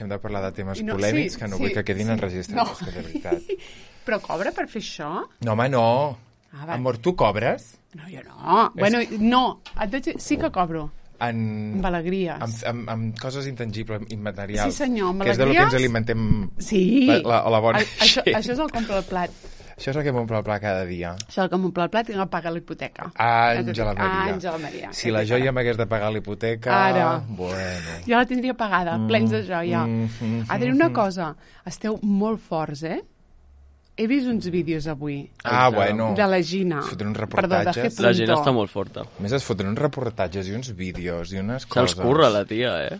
Hem de parlar de temes polèmics que no vull que quedin enregistrats, que de veritat. Però cobra per fer això? No, home, no. Amor, tu cobres? No, jo no. Bueno, no. Sí que cobro. Amb alegries. Amb coses intangibles, immaterials. Sí, senyor, amb alegries. Que és de lo que ens alimentem la bona gent. Això és el compra el plat. Això és el que m'omple el plat cada dia. Això és el que m'omple el plat i no paga la hipoteca. Àngela Maria. Àngela Maria. Si la joia m'hagués de pagar la hipoteca... Ara. Bueno. Jo la tindria pagada, plens de joia. Adri, una cosa. Esteu molt forts, eh? He vist uns vídeos avui. Bueno. De la Gina. Es foten uns reportatges. La Gina està molt forta. A més, es foten uns reportatges i uns vídeos i unes coses. Se'ls curra, la tia, eh?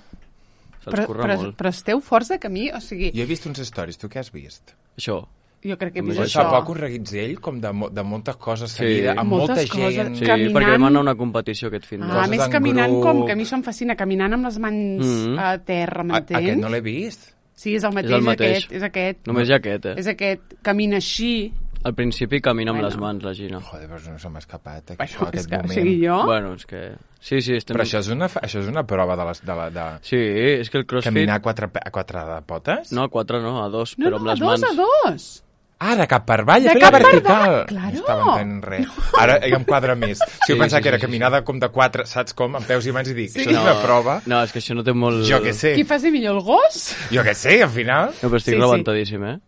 Se'ls curra molt. Però esteu forts de camí, o sigui... Jo he vist uns stories. Tu què has vist? Això. Jo crec que he vist això. Fa poc un reguitzell com de moltes coses seguida, amb molta gent. Sí, perquè vam anar a una competició aquest fin de setmana. A més, caminant com, que a mi això em fascina, caminant amb les mans a terra, m'entens? Aquest no l'he vist. Sí, és el mateix, és aquest. Només hi ha aquest, És aquest, camina així. Al principi camina amb les mans, la Gina. Joder, però no se m'ha escapat aquest moment. O sigui, jo... Bueno, és que... Sí, però això és una prova de Sí, és que el crossfit... Caminar a quatre potes? No, a quatre no, a dos, però amb les mans. No, a dos. De cap per avall, a fer la vertical. Claro. No estava entenent res. Ara em quadra més. Si jo pensava que era caminada com de quatre, saps com? Amb peus i mans i dic, això és una prova. No, és que això no té molt... Jo què sé. Qui faci millor, el gos? Jo què sé, al final. No, però estic rebentadíssim, eh?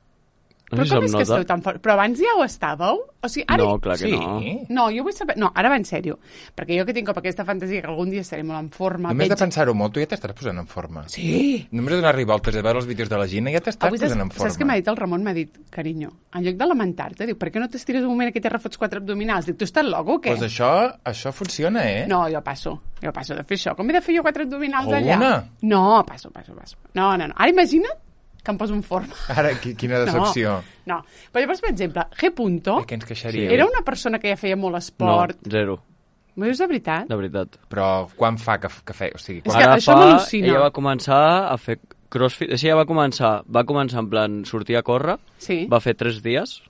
Però com és que esteu tan forts? Però abans ja ho estàveu? O sigui, ara... No, clar que no. No, jo vull saber... No, ara va en sèrio. Perquè jo que tinc com aquesta fantasia que algun dia estaré molt en forma... Només de pensar-ho molt, tu ja t'estàs posant en forma. Sí. Només de donar-li voltes a veure els vídeos de la Gina ja t'estàs posant en forma. Saps què m'ha dit el Ramon? M'ha dit, carinyo, en lloc de lamentar-te, diu, per què no t'estires un moment que te refots 4 abdominals? Dic, tu estàs loco o què? Doncs això funciona, eh? No, jo passo de fer això. Com he de fer jo 4 abdominals allà? Una? No, passo. No. Ara imagina't que em poso en forma. Ara, quina decepció. No. Però llavors, per exemple, G. Què ens queixaríem? Era una persona que ja feia molt esport. No, zero. M'ho dius de veritat? De veritat. Però quan fa que feia? O sigui, és que això m'al·lucina. Ella va començar a fer crossfit. Ella va començar en plan sortir a córrer, va fer 3 dies,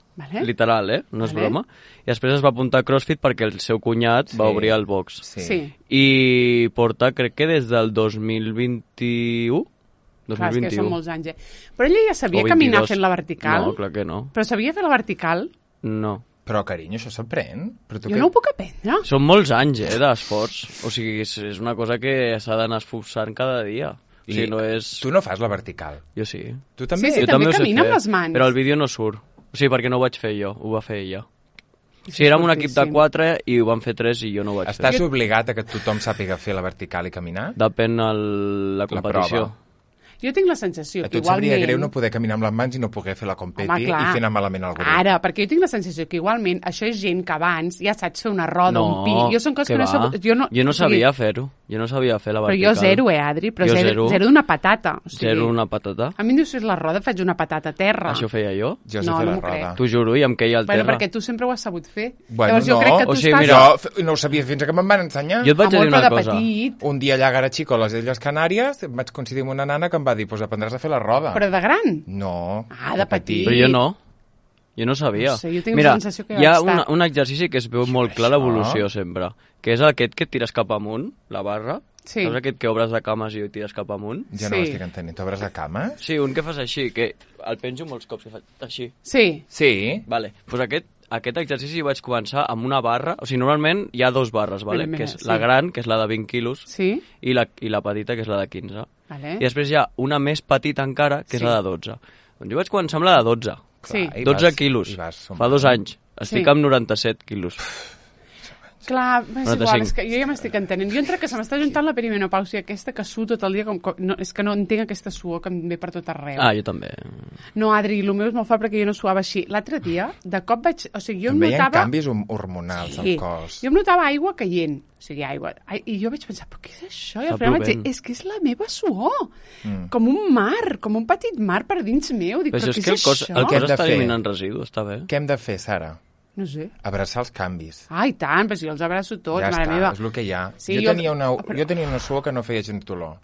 literal, no és broma, i després es va apuntar a crossfit perquè el seu cunyat va obrir el box. Sí. I porta, crec que des del 2021... Clar, és que són molts anys, Però ella ja sabia caminar fent la vertical? No, clar que no. Però sabia fer la vertical? No. Però, carinyo, això s'aprèn? Jo no ho puc aprendre. Són molts anys, d'esforç. O sigui, és una cosa que s'ha d'anar esforçant cada dia. O sigui, no és... Tu no fas la vertical? Jo sí. Tu també? Sí, també camina amb les mans. Però el vídeo no surt. O sigui, perquè no ho vaig fer jo, ho va fer ella. O sigui, érem un equip de 4 i ho van fer 3 i jo no ho vaig fer. Estàs obligat a que tothom sàpiga fer la vertical i caminar? Depèn la competició. Jo tinc la sensació que igualment... A tu et sabria greu no poder caminar amb les mans i no poder fer la competi i fer anar malament al grup. Ara, perquè jo tinc la sensació que igualment això és gent que abans ja saps fer una roda, un pi... Jo són coses que no sé... Jo no sabia fer-ho. Jo no sabia fer la vertical. Però jo zero, Adri? Però zero d'una patata. Zero d'una patata? A mi em dius fer la roda, faig una patata a terra. Això feia jo? Jo sé fer la roda. T'ho juro, i em queia al terra. Bueno, perquè tu sempre ho has sabut fer. Bueno, no. Jo no ho sabia fins que me'n van ensenyar. Jo et vaig dir una cosa. Un dia allà a Garachico, a les Illes Canàries, vaig coincidir amb una nana que em va dir, pues aprendràs a fer la roda. Però de gran? No. De petit. Però jo no. Jo no sabia. No sé, jo tinc la sensació que hi ha un exercici que es veu molt clar l'evolució sempre, que és aquest que et tires cap amunt, la barra. Sí. Saps aquest que obres de cames i tires cap amunt? Jo no l'estic entenent. T'obres de cames? Sí, un que fas així, que el penjo molts cops, que faig així. Sí. Vale, doncs aquest exercici vaig començar amb una barra, o sigui, normalment hi ha 2 barres, vale? Que és la gran, que és la de 20 quilos, i la petita, que és la de 15. Vale. I després hi ha una més petita encara, que és la de 12. Doncs jo vaig començar amb la de 12. Sí. 12 quilos, fa 2 anys. Estic amb 97 quilos. Clar, és igual, és que jo ja m'estic entenent. Jo entre que se m'està juntant la perimenopàusia aquesta que suo tot el dia, és que no entenc aquesta suor que em ve per tot arreu. Jo també. No, Adri, el meu és molt fort perquè jo no suava així. L'altre dia, de cop vaig... O sigui, jo em notava... Em veien canvis hormonals al cos. Jo em notava aigua caient. O sigui, aigua. I jo vaig pensar, però què és això? I al final vaig dir, és que és la meva suor. Com un mar, com un petit mar per dins meu. Dic, però què és això? El cos està eliminant residus, està bé. Què hem de fer, Sara? No sé. Abraçar els canvis. I tant, però si jo els abraço tots, mare meva. És el que hi ha. Sí, jo tenia una suor que no feia gens dolor.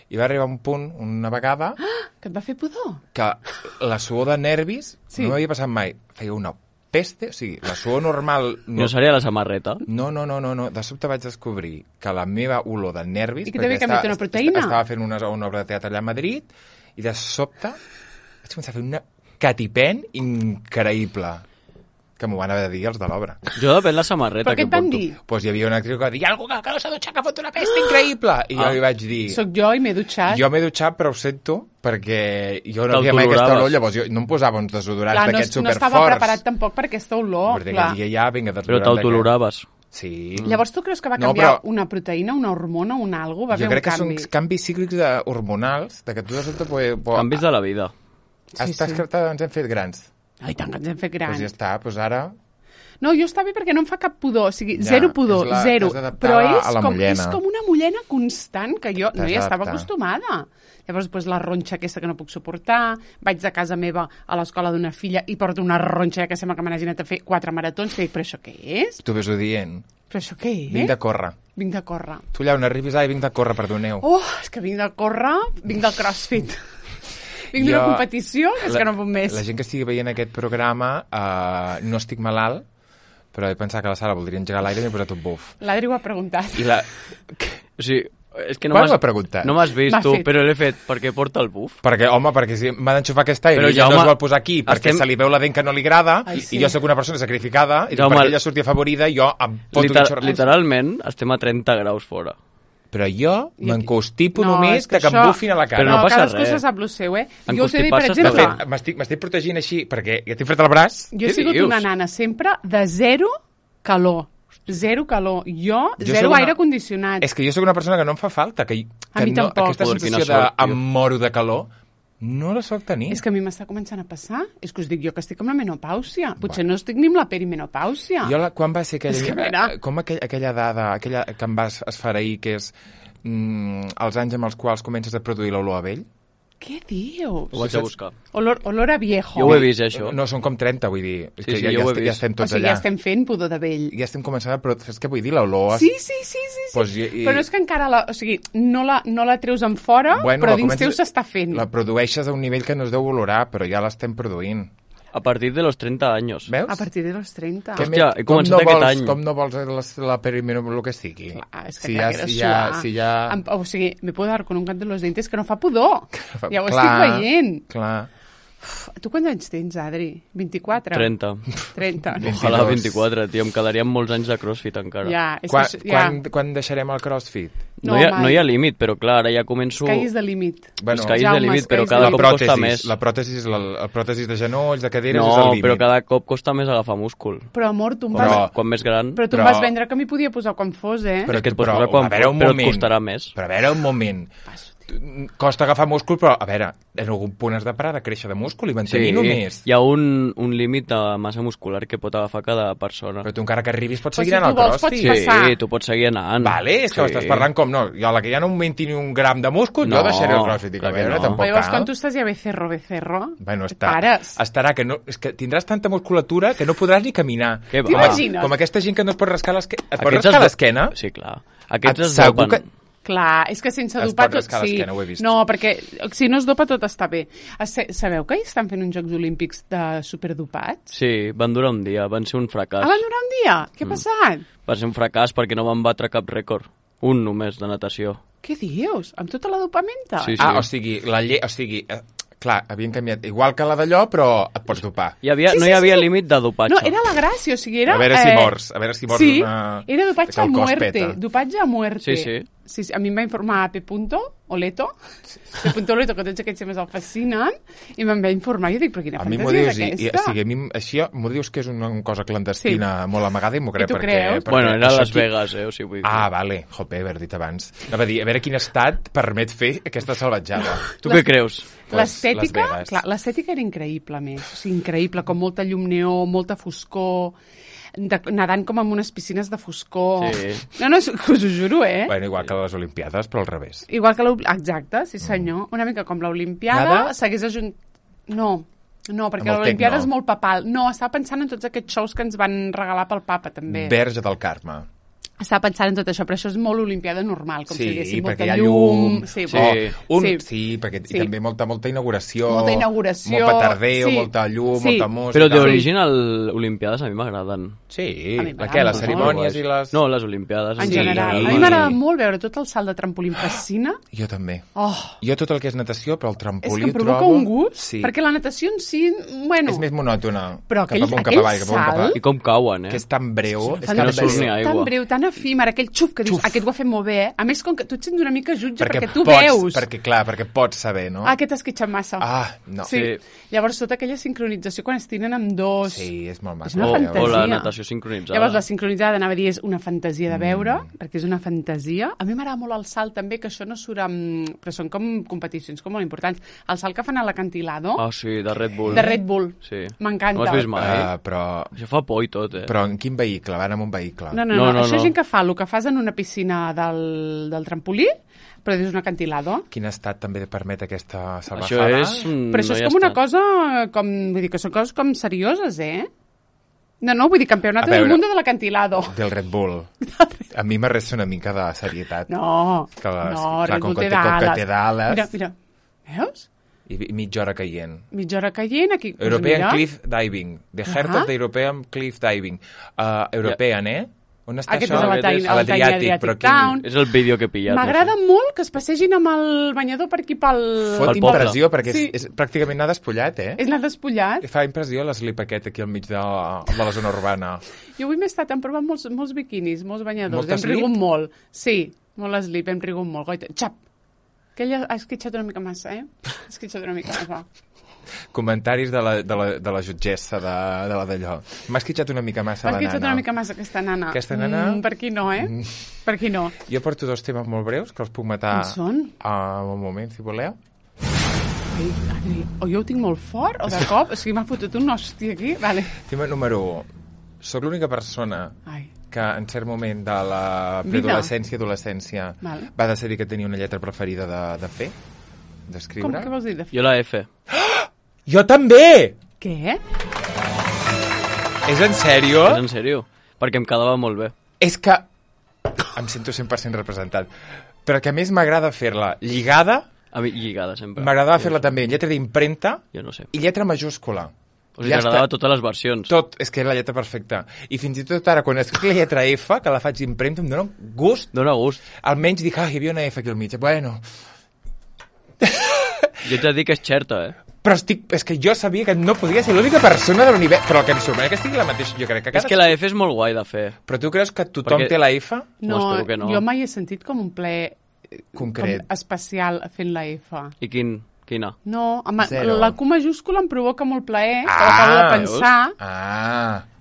I va arribar un punt, una vegada... Que et va fer pudor? Que la suor de nervis no m'havia passat mai. Feia una peste, o sigui, la suor normal... No seria la samarreta? No. De sobte vaig descobrir que la meva olor de nervis... I que t'havia canviat una proteïna? Estava fent una obra de teatre allà a Madrid I de sobte vaig començar a fer una catipent increïble. Que m'ho van haver de dir els de l'obra. Jo depèn la samarreta que porto. Però què et van dir? Pues hi havia una actriu que va dir, hi ha algú que no s'ha dutxat, que fot una pesta increïble! I jo li vaig dir... Soc jo i m'he dutxat. Jo m'he dutxat, però ho sento, perquè jo no havia mai aquesta olor, llavors jo no em posava uns desodorants d'aquests superforts. No estava preparat tampoc per aquesta olor. Perquè aquell dia ja, vinga, però t'autoloraves. Sí. Llavors tu creus que va canviar una proteïna, una hormona, un algo? Va haver un canvi? Jo crec que són canvis cíclics hormonals, de que tu de sobte... Canvis de la vida. Ens hem fet grans. Ai, tant que ens hem fet grans. Doncs ja està, doncs ara... No, jo està bé perquè no em fa cap pudor, o sigui, zero pudor, zero. Però és com una mullena constant que jo no hi estava acostumada. Llavors, doncs, la ronxa aquesta que no puc suportar, vaig de casa meva a l'escola d'una filla i porto una ronxa que sembla que m'han anat a fer 4 maratons, que dic, però això què és? Tu ves-ho dient. Però això què és? Vinc de córrer. Vinc de córrer. Tu allà on arribis, vinc de córrer, perdoneu. Oh, és que vinc de córrer, vinc del CrossFit. Vinc d'una competició, és que no puc més. La gent que estigui veient aquest programa, no estic malalt, però he pensat que la Sara voldria engegar l'aire i m'he posat un buf. L'Adri ho ha preguntat. O sigui, és que no m'has vist tu, però l'he fet perquè porta el buf. Perquè, home, perquè si m'ha d'enxufar aquest aire i ja no es vol posar aquí perquè se li veu la dent que no li agrada i jo sóc una persona sacrificada i perquè ella surti afavorida jo em foto un xorrat. Literalment estem a 30 graus fora. Però jo m'encostipo només que em bufin a la cara. Però no passa res. Cadascú se sap el seu, eh? Jo us he dit, per exemple... M'estic protegint així, perquè ja tinc fred al braç. Jo he sigut una nana sempre de zero calor. Zero calor. Jo zero aire condicionat. És que jo sóc una persona que no em fa falta. A mi tampoc. Aquesta sensació de em moro de calor... No la soc tenir. És que a mi m'està començant a passar. És que us dic jo que estic amb la menopàusia. Potser no estic ni amb la perimenopàusia. Quan va ser aquella dada, aquella que em vas esfereir, que és els anys amb els quals comences a produir l'olor a vell? Què dius? Ho vaig a buscar. Olor a viejo. Jo ho he vist, això. No, són com 30, vull dir. Sí, ja estem tots allà. O sigui, ja estem fent pudor de vell. Ja estem començant a... Però saps què vull dir? L'olor... Sí. Però no és que encara o sigui, no la treus en fora, però dins teu s'està fent. La produeixes a un nivell que no es deu olorar, però ja l'estem produint. A partir de los 30 anys. Veus? A partir de los 30. Hòstia, he començat aquest any. Com no vols la perimenopàusia, el que sigui? Clar, és que si ja... O sigui, me puedo dar con un cant de los dientes que no fa pudor. Ja ho estic veient. Clar. Tu quants anys tens, Adri? 24? 30. Ojalà 24, tio. Em quedaríem molts anys de CrossFit encara. Quan deixarem el CrossFit? No hi ha límit, però clar, ara ja començo... Escaïs de límit. Escaïs de límit, però cada cop costa més. La pròtesi de genolls, de caderes, és el límit. No, però cada cop costa més agafar múscul. Però, amor, tu em vas... Quan més gran... Però tu em vas vendre que m'hi podia posar quan fos, eh? Però et pots posar quan fos, però et costarà més. Però a veure, un moment... Costa agafar múscul, però, a veure, en algun punt has de parar de créixer de múscul i mantenir només. Hi ha un límit de massa muscular que pot agafar cada persona. Però tu encara que arribis pots seguir anant al CrossFit. Sí, tu pots seguir anant. Vale, és que m'estàs parlant com no. Jo a la que ja no augmenti ni un gram de múscul, jo deixaré el CrossFit. Dic, a veure, tampoc cal. Llavors, quan tu estàs ja becerro, bueno, estarà que no... És que tindràs tanta musculatura que no podràs ni caminar. T'imagines? Com aquesta gent que no es pot rascar l'esquena. Et pots rascar l'esquena? Sí, clar. Aquests es dopen. Clar, és que sense dopar tot... Sí. No, ho he vist. No, perquè si no es dopa tot està bé. Sabeu que estan fent uns Jocs Olímpics de superdopats? Sí, van durar un dia, van ser un fracàs. Van durar un dia? Què ha passat? Va ser un fracàs perquè no van batre cap rècord. Un només, de natació. Què dius? Amb tota la dopamenta? Sí. O sigui, clar, havien canviat. Igual que la d'allò, però et pots dopar. No hi havia límit de dopatge. No, era la gràcia, o sigui, era... A veure si mors. Sí, era dopatge a muerte. Dopatge a muerte. Sí. A mi em va informar P. Oleto, que tots aquests temes el fascinen, i me'n va informar. Jo dic, però quina fantasia és aquesta? Així m'ho dius que és una cosa clandestina molt amagada i m'ho crec. I tu creus? Bueno, era Las Vegas, o sigui... Vale. Jope, haver dit abans. Anava a dir, a veure quin estat permet fer aquesta salvatjada. Tu què creus? L'estètica era increïble, més. O sigui, increïble, com molta llum neó, molta foscor... nadant com en unes piscines de foscor. Sí. No, us ho juro, eh? Bueno, igual que les Olimpiades, però al revés. Igual que exacte, sí senyor. Una mica com l'Olimpiada s'hagués No, perquè l'Olimpiada és molt papal. No, estava pensant en tots aquests shows que ens van regalar pel papa, també. Verge del Carme. Estava pensant en tot això, però això és molt olimpiada normal, com si diguéssim, molta llum. Sí, perquè també molta inauguració. Molta inauguració. Molt petardeo, molta llum, molta música. Però d'origen, les olimpiades a mi m'agraden. Sí, les cerimònies i les... No, les olimpiades. En general. A mi m'agrada molt veure tot el salt de trampolí em fascina. Jo també. Jo tot el que és natació, però el trampolí és que em provoca un gust, perquè la natació en si, bueno... És més monòtona. Però aquell salt... I com cauen, Que és tan breu. És que no surt ni aigua. Tan breu, tan efímer, aquell xuf que dius, aquest ho ha fet molt bé. A més, com que tu et sents una mica jutge perquè tu veus. Perquè pots saber, no? Aquest esquitxat massa. No. Sí. Llavors, tota aquella sincronització quan es tiren amb dos... Sí, és molt maco. És una fantasia. O la natació sincronitzada. Llavors, la sincronitzada, anava a dir, és una fantasia de veure, perquè és una fantasia. A mi m'agrada molt el salt, també, que això no surt amb... Però són com competicions com molt importants. El salt que fan a l'acantilado... Sí, de Red Bull. De Red Bull. Sí. M'encanta. No has vist mai? Però... Això fa por i tot, Però en quin vehicle? Van amb un vehicle? No. Això és gent que fa el que fas en una piscina del trampolí, però és un acantilado. Quin estat també permet aquesta salvajada? Però això és com una cosa, vull dir que són coses com serioses, No, vull dir, campionat del món de l'acantilado. Del Red Bull. A mi m'arresta una mica de serietat. No, Red Bull té d'ales. Mira, veus? I mitja hora caient. Aquí. European Cliff Diving. The Heart of the European Cliff Diving. European, On està això? Aquest és a l'Adriàtic, però quin... És el vídeo que he pillat. M'agrada molt que es passegin amb el banyador per aquí pel... Fot impressió, perquè és pràcticament anar despullat, És anar despullat. Fa impressió l'eslip aquest aquí al mig de la zona urbana. Jo avui m'he estat provant molts biquinis, molts banyadors. Hem rigut molt. Sí, molt eslip, hem rigut molt. Goita, xap! Que ella ha esquitxat una mica massa, Ha esquitxat una mica massa. Comentaris de la jutgessa de la d'allò. M'ha esquitxat una mica massa la nana. M'ha esquitxat una mica massa aquesta nana. Aquesta nana... Per aquí no, Per aquí no. Jo porto 2 temes molt breus que els puc matar en un moment, si voleu. Ai, Adri, o jo ho tinc molt fort, o de cop, o sigui, m'ha fotut un hòstia aquí. Vale. Tema número 1. Soc l'única persona que en cert moment de la preadolescència i adolescència va decidir que tenia una lletra preferida de fer, d'escriure. Com, què vols dir de fer? Jo la F. Jo també! Què? És en sèrio? És en sèrio, perquè em quedava molt bé. És que em sento 100% representat, però que a més m'agrada fer-la lligada. A mi lligada sempre. M'agradava fer-la també en lletra d'impremta i lletra majúscula. O sigui, t'agradava totes les versions. Tot, és que era la lletra perfecta. I fins i tot ara, quan escric la lletra F, que la faig d'impremta, em dona gust. Dona gust. Almenys dic, hi havia una F aquí al mig. Bueno. Jo t'he dit que és xerta, Però és que jo sabia que no podia ser l'única persona de l'univers. Però el que em sorprèn que estigui la mateixa. Jo crec que és que la F és molt guai de fer. Però tu creus que tothom té la F? No, jo mai he sentit com un ple concret, especial fent la F. I quina? No, la Q majúscula em provoca molt plaer, que l'acabo de pensar.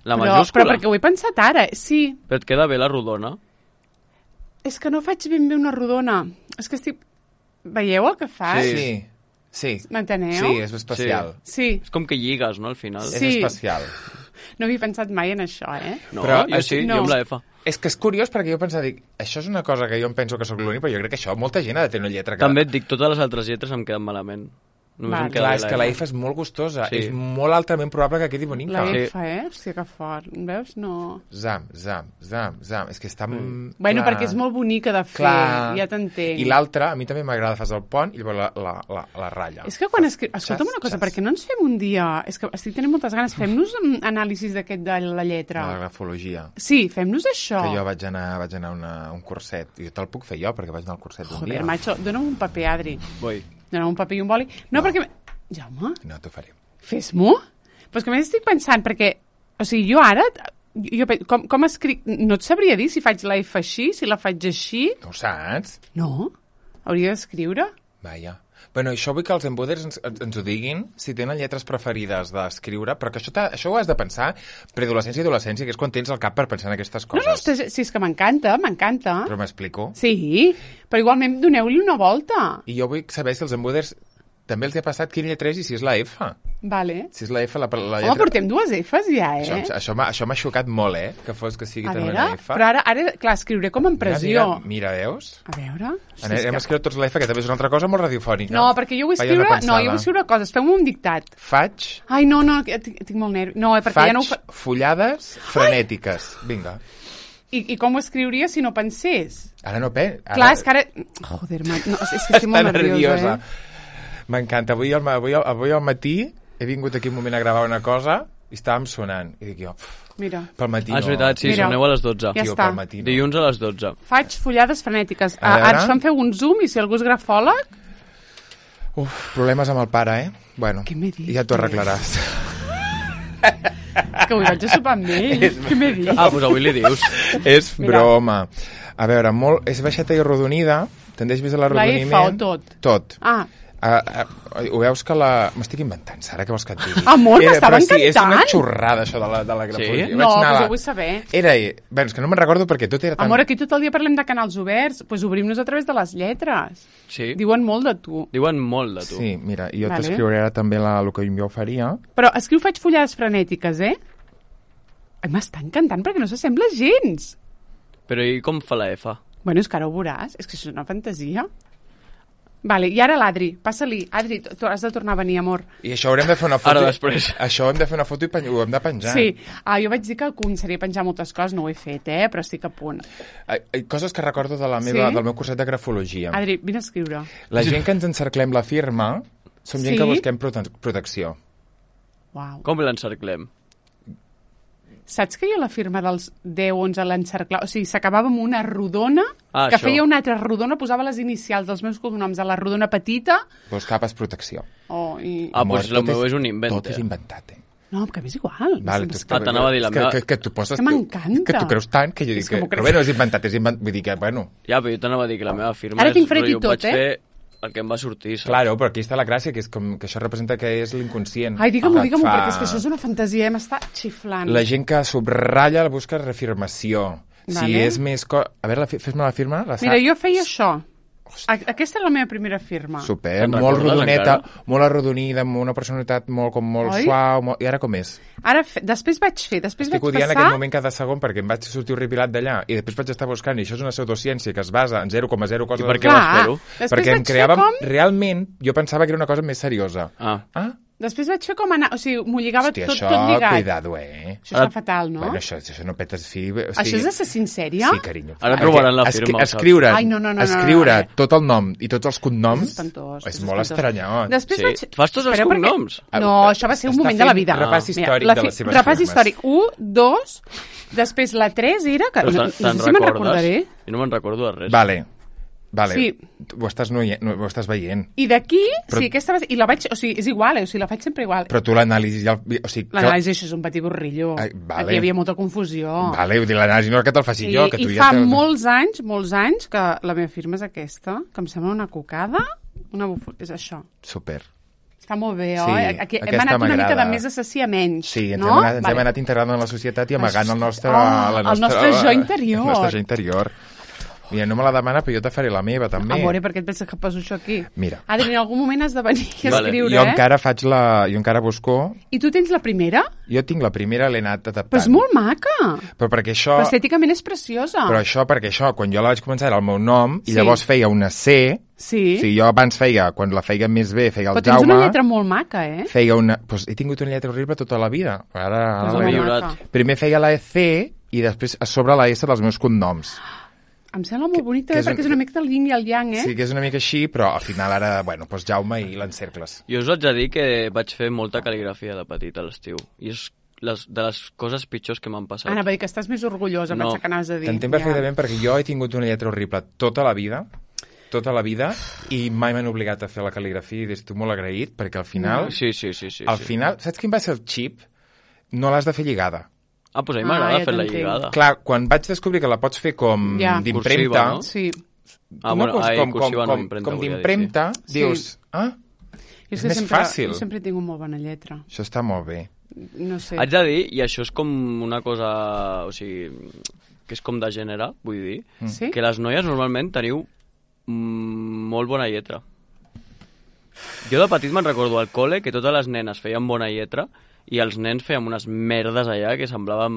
La majúscula? Però perquè ho he pensat ara, sí. Però et queda bé la rodona? És que no faig ben bé una rodona. És que estic... Veieu el que fas? Sí. M'enteneu? Sí, és especial. Sí. És com que lligues, no, al final? Sí. És especial. No havia pensat mai en això, No, però, jo amb la F. És que és curiós perquè jo pensava, això és una cosa que jo em penso que sóc l'únic, però jo crec que això molta gent ha de tenir una lletra que... També et dic, totes les altres lletres em queden malament. Clar, és que la F és molt gustosa. És molt altament probable que quedi bonica. La F, Hòstia, que fort. Veus? No... Zam. És que està... Bueno, perquè és molt bonica de fer. Ja t'entenc. I l'altra, a mi també m'agrada, fas el pont i llavors la ratlla. És que quan escolta'm una cosa, perquè no ens fem un dia... És que estic tenint moltes ganes. Fem-nos anàlisis d'aquest de la lletra. De la grafologia. Sí, fem-nos això. Que jo vaig anar a un curset. I jo te'l puc fer jo, perquè vaig anar al curset un dia. Joder, macho, dona'm un paper, Adri. Vull. Donar un paper i un boli. No, perquè... Jaume? No, t'ho faré. Fes-m'ho? Però és que a més estic pensant, perquè... O sigui, jo ara... Com escric... No et sabria dir si faig la F així, si la faig així... No ho saps? No? Hauria d'escriure? Vaja. Bueno, això vull que els embuders ens ho diguin, si tenen lletres preferides d'escriure, però que això ho has de pensar preadolescència i adolescència, que és quan tens el cap per pensar en aquestes coses. No, si és que m'encanta. Però m'explico? Sí, però igualment doneu-li una volta. I jo vull saber si els embuders també els ha passat quina lletra és i si és la F. Vale. Si és la F, la lletra... Home, portem 2 Fs ja, Això m'ha xocat molt, que fos que sigui també una F. Però ara, clar, escriuré com en pressió. Mira, veus? A veure... Hem escrit tots la F, que també és una altra cosa molt radiofònica. No, perquè jo vull escriure... No, jo vull escriure coses. Fem-me un dictat. Faig... Ai, no, tinc molt nervi. No, perquè ja no ho fullades frenètiques. Vinga. I com ho escriuria si no pensés? Ara no penso. Clar, és que ara... Joder, no, és que estic molt nerviosa. M'encanta. Avui al matí he vingut aquí un moment a gravar una cosa i estàvem sonant. I dic jo, mira. Pel matí no. És veritat, sí, soneu a les 12. Ja està. Dilluns a les 12. Faig follades frenètiques. Ara em feu un zoom i si algú és grafòleg... Problemes amb el pare, Bueno, què m'he dit? Ja t'ho arreglaràs. Que avui vaig a sopar amb ell. Què m'he dit? Doncs avui li dius. És broma. A veure, és baixeta i arrodonida, tendeix més a l'arrodoniment. La F o tot? Tot. Ho veus que m'estic inventant, Sara, què vols que et digui? Amor, m'estava encantant! Sí, és una xorrada, això de la grafologia. Sí? No, però jo vull saber. És que no me'n recordo perquè tot era tan... Amor, aquí tot el dia parlem de canals oberts, doncs obrim-nos a través de les lletres. Sí. Diuen molt de tu. Diuen molt de tu. Sí, mira, jo t'escriuré ara també el que jo faria. Però escriu faig follades frenètiques, Ai, m'està encantant perquè no s'assembla gens. Però i com fa la F? Bueno, és que ara ho veuràs, és que això és una fantasia. Vale, i ara l'Adri, passa-li. Adri, tu has de tornar a venir, amor. I això haurem de fer una foto. Ara després. Això hem de fer una foto i ho hem de penjar. Sí, jo vaig dir que començaria a penjar moltes coses, no ho he fet, però estic a punt. Coses que recordo del meu curset de grafologia. Adri, vine a escriure. La gent que ens encerclem la firma som gent que busquem protecció. Uau. Com l'encerclem? Saps que jo la firma dels 10-11 l'encerclava? O sigui, s'acabava amb una rodona, que feia una altra rodona, posava les inicials dels meus cognoms a la rodona petita... Doncs capes protecció. Doncs la meva és un invent. Tot és inventat, No, que a mi és igual. T'anava a dir la meva... Que tu poses... Que m'encanta. Que tu creus tant que jo dic que... Però bé, no és inventat, vull dir que, bueno... Ja, però jo t'anava a dir que la meva firma Ara tinc fred i tot, el que em va sortir. Claro, però aquí està la gràcia, que és com que això representa que és l'inconscient. Ai, digue-m'ho, perquè és que això és una fantasia, m'està xiflant. La gent que subratlla busca reafirmació. Si és més... A veure, fes-me la firma. Mira, jo feia això. Aquesta és la meva primera firma. Super, molt rodoneta, molt arrodonida, amb una personalitat molt suau. I ara com és? Després vaig passar... Estic odiant aquest moment cada segon perquè em vaig sortir horripilat d'allà i després vaig estar buscant, i això és una pseudociència que es basa en 0,0 coses... I per què vas fer-ho? Perquè em creàvem... Realment, jo pensava que era una cosa més seriosa. Després vaig fer com anar... O sigui, m'ho lligava tot lligat. Hòstia, cuidado, Això està fatal, no? Bueno, això no petes fi... Això és assassin sèrie? Sí, carinyo. Ara trobaran la firma. Escriure tot el nom i tots els cognoms és espantós. És molt estranyot. Després vaig... Fas tots els cognoms? No, això va ser un moment de la vida. Repàs històric de les seves firmes. Repàs històric. 1, 2... Després la 3 era... No sé si me'n recordaré. Jo no me'n recordo de res. Vale, sí. Ho estàs veient. I d'aquí, sí, aquesta va ser... I la vaig... O sigui, és igual, o sigui, la faig sempre igual. Però tu l'anàlisi... L'anàlisi, això és un petit borrillo. Aquí hi havia molta confusió. Vale, vull dir, l'anàlisi no és que te'l faci jo. I fa molts anys, que la meva firma és aquesta, que em sembla una cocada, és això. Super. Està molt bé, oi? Hem anat una mica de més assassí a menys, sí, ens hem anat integrant en la societat i amagant el nostre jo interior. El nostre jo interior. Mira, no me la demana, però jo te faré la meva, també. Amore, per què et penses que poso això aquí? Mira. Adri, en algun moment has de venir a escriure, Jo encara busco... I tu tens la primera? Jo tinc la primera, l'he anat adaptant. Però és molt maca. Però perquè això... Però estèticament és preciosa. Però perquè això, quan jo la vaig començar era el meu nom, i llavors feia una C... Sí. O sigui, jo abans quan la feia més bé, feia el Jaume... Però tens una lletra molt maca, Feia una... Doncs he tingut una lletra horrible tota la vida. Ara primer feia la C i després a sobre la S dels meus cognoms. Em sembla molt bonic també perquè és una mica del yin i el yang, Sí, que és una mica així, però al final ara, doncs Jaume i l'encercles. Jo us haig de dir que vaig fer molta cal·ligrafia de petit a l'estiu. I és de les coses pitjors que m'han passat. Anava a dir que estàs més orgullosa, pensar que anaves a dir. T'entenc perfectament perquè jo he tingut una lletra horrible tota la vida, i mai m'han obligat a fer la cal·ligrafia i estic molt agraït, perquè al final... Sí. Al final, saps quin va ser el xip? No l'has de fer lligada. Doncs a mi m'agrada fer la lligada. Clar, quan vaig descobrir que la pots fer com d'impremta... No? Sí. Com d'impremta, dius... És més fàcil. Jo sempre he tingut molt bona lletra. Això està molt bé. No sé. Haig de dir, i això és com una cosa... O sigui, que és com de gènere, vull dir, que les noies normalment teniu molt bona lletra. Jo de petit me'n recordo al col·le que totes les nenes feien bona lletra i els nens fèiem unes merdes allà que semblaven...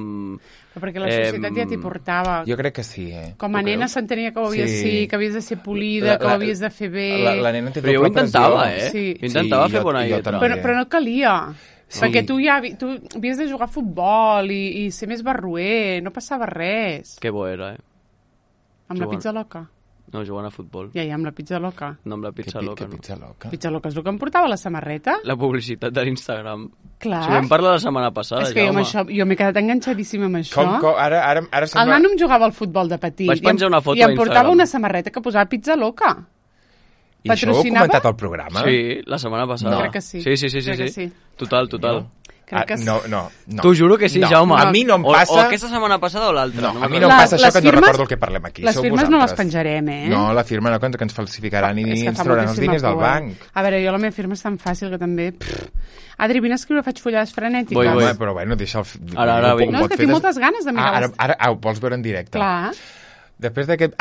Però perquè la societat ja t'hi portava. Jo crec que sí, Com a nena s'entenia que ho havies de ser polida, que ho havies de fer bé... La nena té però jo ho intentava, Sí. Intentava fer bona lletra. Però no calia. Perquè tu havies de jugar a futbol i ser més barruer, no passava res. Que bo era, Amb la pizza loca? No, jugant a futbol. Ja, amb la pizza loca. No, amb la pizza loca, no. Pizza loca? Pizza loca és el que em portava la samarreta? La publicitat de l'Instagram. Clar. Si vam parlar la setmana passada, és que jo m'he quedat enganxadíssima amb això. Ara sembla... El nano em jugava al futbol de petit. Vaig penjar una foto i em portava una samarreta que posava pizza loca. I això ho heu comentat al programa? Sí, la setmana passada. No. Crec que sí. Sí. Total. No. Crec que sí. No. T'ho juro que sí, Jaume. A mi no em passa... O aquesta setmana passada o l'altra. No, a mi no em passa això que no recordo el que parlem aquí. Les firmes no les penjarem, No, la firma no, que ens falsificaran i ens trauran els diners del banc. A veure, jo la meva firma és tan fàcil que també... Adri, vine a escriure, faig follades frenètiques. Home, però bueno, deixa el... Ara vinc. No, és que tinc moltes ganes de mirar... Ara ho vols veure en directe. Clar. Després d'aquest...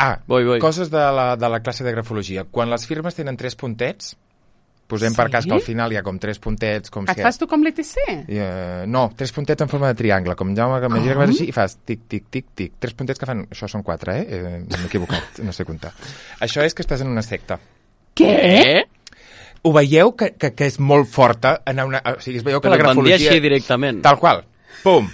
Coses de la classe de grafologia. Quan les firmes tenen 3 puntets, posem per cas que al final hi ha com 3 puntets... Et fas tu com l'ETC? No, 3 puntets en forma de triangle, com Jaume, que m'imagina que vas així i fas tic, tic, tic, tic. 3 puntets que fan... Això són 4, m'he equivocat, no sé comptar. Això és que estàs en una secta. Què? Ho veieu que és molt forta anar una... O sigui, es veieu que la grafologia... Així directament. Tal qual. Pum.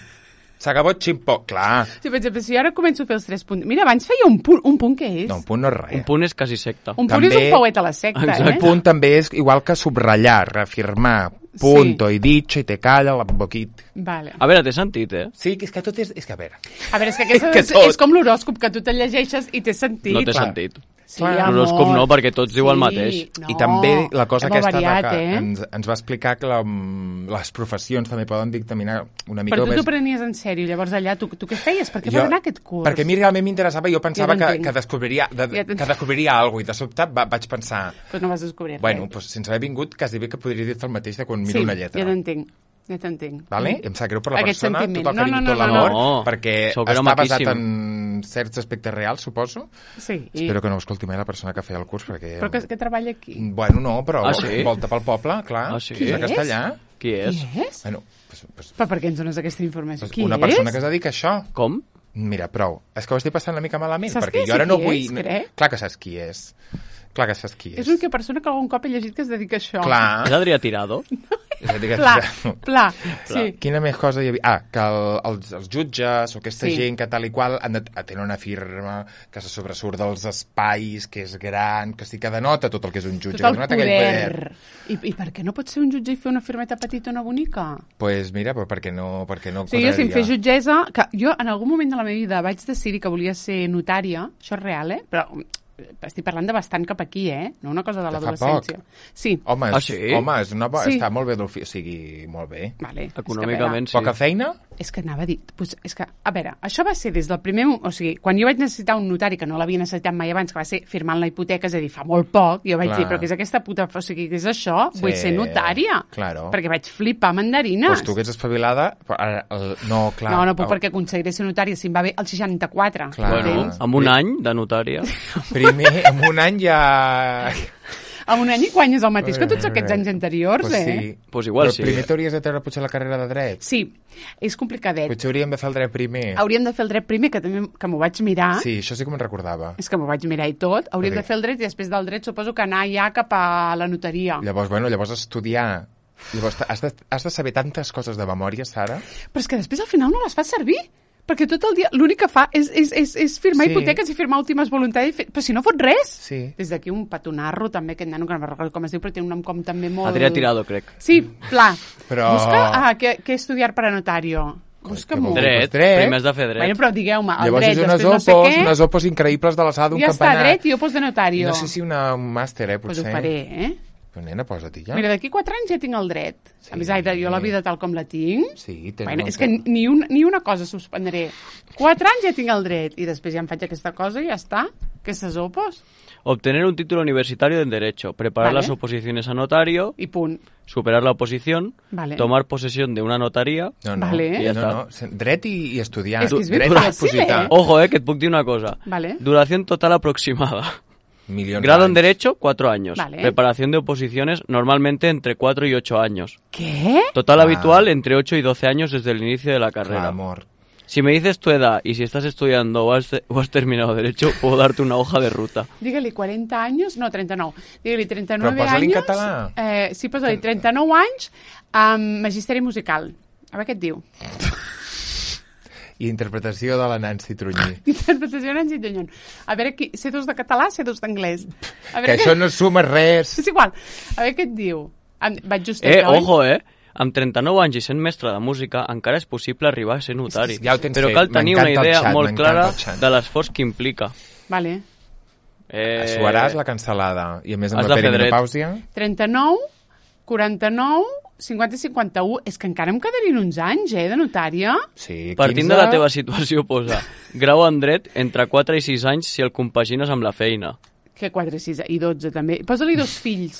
S'acabó ximpo, clar. Sí, per exemple, si ara començo a fer els 3 punts... Mira, abans feia un punt què és? No, un punt no és res. Un punt és quasi secta. Un punt és un pauet a la secta, Un punt també és igual que subratllar, reafirmar, punto, i dicho, i te calla, la boquit. Vale. A veure, té sentit, Sí, és que tot és... És que a veure... A veure, és que és com l'horòscop, que tu te llegeixes i té sentit. No té sentit. Sí, l'horòscop no, perquè tots diuen el mateix. No, I també la cosa aquesta variat, ens va explicar que les professions també poden dictaminar una mica més... Però tu t'ho prenies en sèrio, llavors allà tu què feies? Per què vas anar a aquest curs? Perquè a mi realment m'interessava, jo pensava que descobriria alguna cosa, i de sobte vaig pensar... Però no vas descobrir res. Bueno, sense haver vingut, quasi bé que podria dir-te el mateix de quan miro una lletra. Sí, ja t'entenc. Vale? Em sap greu per la Aquest persona, sentiment. tot el carinyo, tot l'amor, perquè està maquíssim. basat en certs aspectes reals, suposo. Sí. Espero que no escolti mai la persona que feia el curs, perquè... Però que treballa aquí? Bueno, no, però sí? volta pel poble, clar. Sí? Qui és? Castellà. Qui és? Bueno, però per què ens dones aquesta informació? Qui una persona que es dedica a això. Com? Mira, prou. És que ho estic passant una mica malament, saps perquè jo ara no vull... Crec? Clar que saps qui és. Clar que saps qui és. És l'única persona que algun cop he llegit que es dedica a això. Clar. És Adrià Tirado? Pla. Sí. Quina més cosa hi havia? Que els jutges o aquesta gent que tal i qual tenen una firma que se sobresurt dels espais, que és gran, que sí que denota tot el que és un jutge. Tot el poder. I per què no pot ser un jutge i fer una firmeta petitona bonica? Pues mira, però perquè no sí, jo si em fes jutgessa... Que jo en algun moment de la meva vida vaig decidir que volia ser notària, això és real, però... Estic parlant de bastant cap aquí, no una cosa de l'adolescència. Sí. Home, sí? Està molt bé, o sigui, molt bé. Vale. Econòmicament, sí. Poca feina? És que anava a dir... És que, a veure, això va ser des del primer... O sigui, quan jo vaig necessitar un notari, que no l'havia necessitat mai abans, que va ser firmant la hipoteca, és a dir, fa molt poc, jo vaig dir, però què és aquesta puta... O sigui, què és això? Sí. Vull ser notària. Claro. Perquè vaig flipar mandarines. Pues tu que ets espavilada... No, clar. No puc perquè aconseguiré ser notària si em va bé el 64. Clar. Bueno, amb un any de notària. Primer, amb un any ja... En un any i guanyes el mateix que tots aquests anys anteriors, pues sí. Pues igual però primer t'hauries de treure potser la carrera de dret. Sí, és complicadet. Potser hauríem de fer el dret primer. Hauríem de fer el dret primer, que també que m'ho vaig mirar. Sí, això sí que me'n recordava. És que m'ho vaig mirar i tot. Hauríem de fer el dret i després del dret suposo que anar ja cap a la notaria. Llavors estudiar. Llavors has de saber tantes coses de memòria, Sara. Però és que després al final no les fas servir. Perquè tot el dia l'únic que fa és firmar hipoteques i firmar últimes voluntaris, però si no fot res. Sí. Des d'aquí un petonarro, també, aquest nano, que no recordo com es diu, però té un nom com també molt... Adrià Tirado, crec. Sí, pla. Però... Busca què estudiar per a notario. Busca-m'ho. Dret. Primer has de fer dret. Bueno, però digueu-me, el llavors dret, després no sé què... unes opos increïbles de l'alçada d'un campanar. Ja està, dret i opos de notario. No sé si un màster, potser. Pues ho faré, Però nena, posa-t'hi ja. Mira, d'aquí 4 anys ja tinc el dret. Sí. A més, jo la vida tal com la tinc... Sí, és que ni una cosa suspendré. 4 anys ja tinc el dret. I després ja em faig aquesta cosa i ja està. Aquestes opos. Obtener un título universitario en Derecho. Preparar las oposiciones a notario. Y punt. Superar la oposición. Vale. Tomar posesión de una notaría. No. Vale. I ja està. Dret i estudiar. És que és ben fàcil, Ojo, que et puc dir una cosa. Vale. Duración total aproximada. Grado en Derecho, 4 años. Vale. Preparación de oposiciones, normalmente entre 4 y 8 años. ¿Qué? Total habitual, entre 8 y 12 años desde el inicio de la carrera. Clar, amor. Si me dices tu edad y si estás estudiando o has terminado Derecho, puedo darte una hoja de ruta. Digue-li 40 anys, no, 39. Digue-li 39 Però posa-li anys. en català. Sí, posa-li 39 anys amb magisteri musical. A veure què et diu. I interpretació de la Nancy Trunyí. Interpretació de Nancy Trunyí. A veure, C2 de català, C2 d'anglès. Que això no suma res. És igual. A veure què et diu. Vaig justet, ojo, amb 39 anys i sent mestre de música encara és possible arribar a ser notari. Ja ho tens però fet. Cal tenir una idea molt clara de l'esforç que implica. Vale. Suaràs la cancel·lada. I a més amb la perimenopàusia... 39, 49, 50 i 51. És que encara em quedarien uns anys, de notària. Sí, 15... Partint de la teva situació, posa grau en dret entre 4 i 6 anys si el compagines amb la feina. Que 4 i 6 i 12 també. Posa-li 2 fills.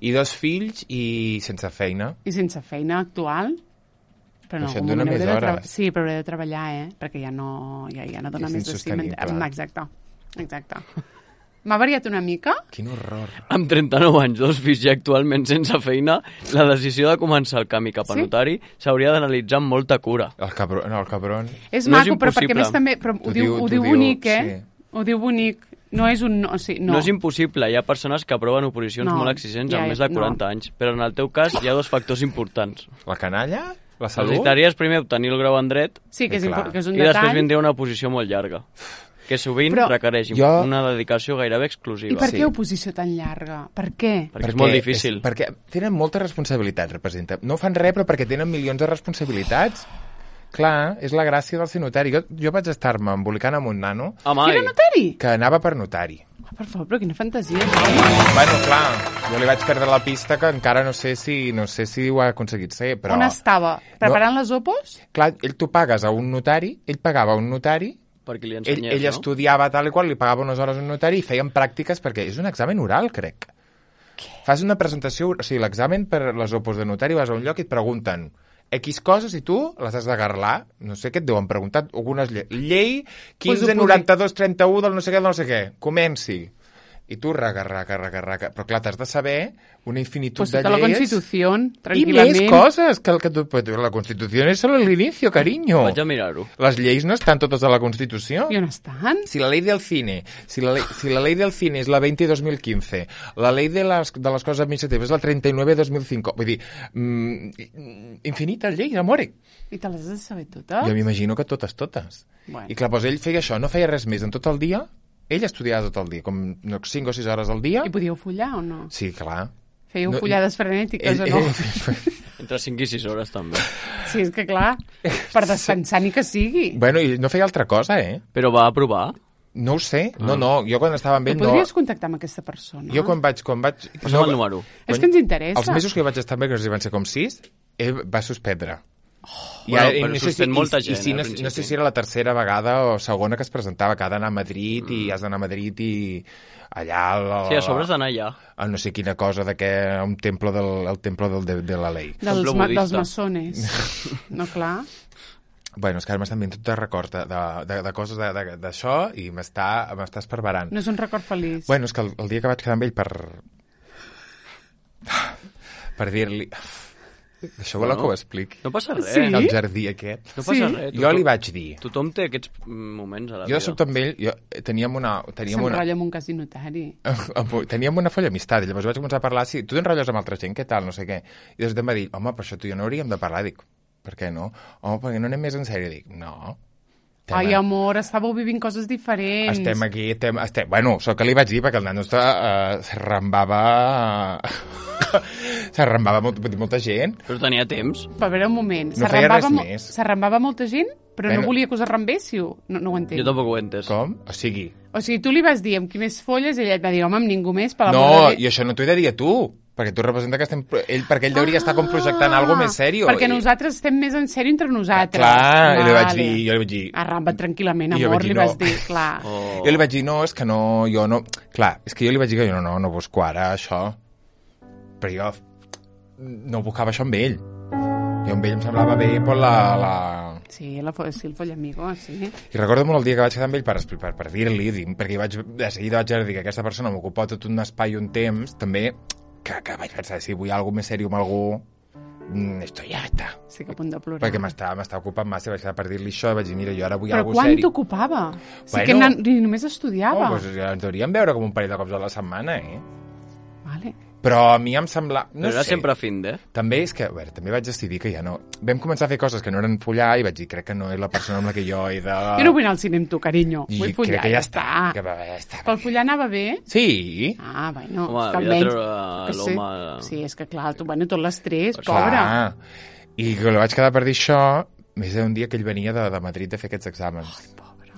I 2 fills i sense feina. I sense feina actual. Però no, això et dona més hores. Sí, però hauré de treballar, perquè ja no dona més de 5. Exacte. M'ha variat una mica? Quin horror. Amb 39 anys, 2 fills i actualment sense feina, la decisió de començar el camí cap a notari s'hauria d'analitzar amb molta cura. El cabron. És maco, però perquè més també... Però ho diu bonic, sí. Ho diu bonic. No és un... O sigui, no. No és impossible. Hi ha persones que aproven oposicions molt exigents amb més de 40 anys, però en el teu cas hi ha 2 factors importants. La canalla? La salut? Necessitaries primer obtenir el grau en dret que és un detall. I després vindria una oposició molt llarga, que sovint requereix una dedicació gairebé exclusiva. I per què oposició tan llarga? Per què? Perquè és molt difícil. Perquè tenen moltes responsabilitats, representa. No fan res, però perquè tenen milions de responsabilitats. Clar, és la gràcia del ser notari. Jo vaig estar-me embolicant amb un nano... Que era notari? Que anava per notari. Per favor, però quina fantasia. Bueno, clar, jo li vaig perdre la pista que encara no sé si ho ha aconseguit ser, però... On estava? Preparant les opos? Clar, tu pagues a un notari, ell pagava a un notari, perquè li ensenyés, ell estudiava tal i qual, li pagava unes hores a un notari i feien pràctiques, perquè és un examen oral, crec. Què? Fas una presentació, o sigui, l'examen per les opos de notari, vas a un lloc i et pregunten X coses i tu les has d'agarrar, no sé què et deuen preguntar, algunes llei 159231 del no sé què, comenci. I tu raca, però clar, t'has de saber una infinitud de lleis. La Constitució, tranquil·lament. I més coses, que la Constitució és solo l'inicio, cariño. Vaig a mirar-ho. Les lleis no estan totes a la Constitució. I on estan? Si la ley del cine, si la ley del cine és la 20-2015, la ley de les coses administratives és la 39-2005, vull dir, infinites lleis, amore. I te les has de saber totes? Jo m'imagino que totes. Bueno. I clar, doncs ell feia això, no feia res més en tot el dia. Ell estudiava tot el dia, com 5 o 6 hores al dia. I podíeu follar o no? Sí, clar. Fèieu follades frenètiques o no? Entre 5 i 6 hores, també. Sí, és que clar, per descansar ni que sigui. Bueno, i no feia altra cosa, Però va aprovar? No ho sé. No, jo quan estava amb ell no... Podries contactar amb aquesta persona? Jo quan vaig... Posa'm el número. És que ens interessa. Els mesos que vaig estar amb ell, que van ser com 6, ell va suspendre. Però suspèn molta gent. No sé si era la tercera vegada o segona que es presentava, que ha d'anar a Madrid i has d'anar a Madrid i allà... Sí, a sobre has d'anar allà. No sé quina cosa, un temple de la lei. Dels maçones. No, clar. Bueno, és que ara m'estan venint tot de record de coses d'això i m'està esparverant. No és un record feliç. Bueno, és que el dia que vaig quedar amb ell per dir-li... Això voleu que ho expliqui? No passa res. Sí? El jardí aquest. No passa res. Jo li vaig dir... Tothom té aquests moments a la vida. Jo soc amb ell... Teníem una... S'enrotlla amb un cas notari. Teníem una folla amistat. I llavors vaig començar a parlar... Sí, tu t'enrotlles amb altra gent, què tal? No sé què. I després em va dir... Home, però això tu i jo no hauríem de parlar. Dic, per què no? Home, perquè no anem més en sèrio. Dic, no... Ai, amor, estàveu vivint coses diferents. Estem aquí, Bueno, sóc que li vaig dir, perquè el nano s'arrambava... s'arrambava molta gent. Però tenia temps. Per veure un moment. No feia res més. S'arrambava molta gent, però no volia que us arrambéssiu. No ho entenc. Jo tampoc ho he entès. Com? O sigui, tu li vas dir amb qui més folles i ella et va dir, home, amb ningú més. No, i això no t'ho he de dir a tu. Perquè tu representa que perquè ell hauria estar com projectant alguna més sèrio. Perquè nosaltres estem més en sèrio entre nosaltres. Clar, jo li vaig dir... Arramba't tranquil·lament, amor, li vas dir, clar. Jo li vaig dir, no, és que no, jo no... Clar, és que jo li vaig dir que jo no busco ara això. Però jo no buscava això amb ell. Jo amb ell em semblava bé per la... Sí, el follamigo, sí. I recordo molt el dia que vaig quedar amb ell per dir-li, perquè de seguida vaig dir que aquesta persona m'ocupa tot un espai i un temps, també... que vaig pensar, si vull alguna més sèrio amb algú, esto ya está. Sí, que a punt de plorar. Perquè m'estava ocupant massa, vaig quedar per dir-li això, vaig dir, mira, jo ara vull alguna cosa seri. Però quan t'ocupava? Sí que només estudiava. Doncs ja ens hauríem veure com un parell de cops a la setmana, Vale. Però a mi em sembla... No era sempre fin, També és que, a veure, també vaig decidir que ja no... Vam començar a fer coses que no eren follar i vaig dir, crec que no és la persona amb la que jo he de... Jo no vull anar al cine amb tu, carinyo. Vull follar, crec que ja està. Que ja està. Pel follar anava bé? Sí. Bueno, home, que almenys... l'home... Sí, és que clar, tot l'estrès, pobre. I que vaig quedar per dir això, més d'un dia que ell venia de Madrid de fer aquests exàmens. Ai, pobre.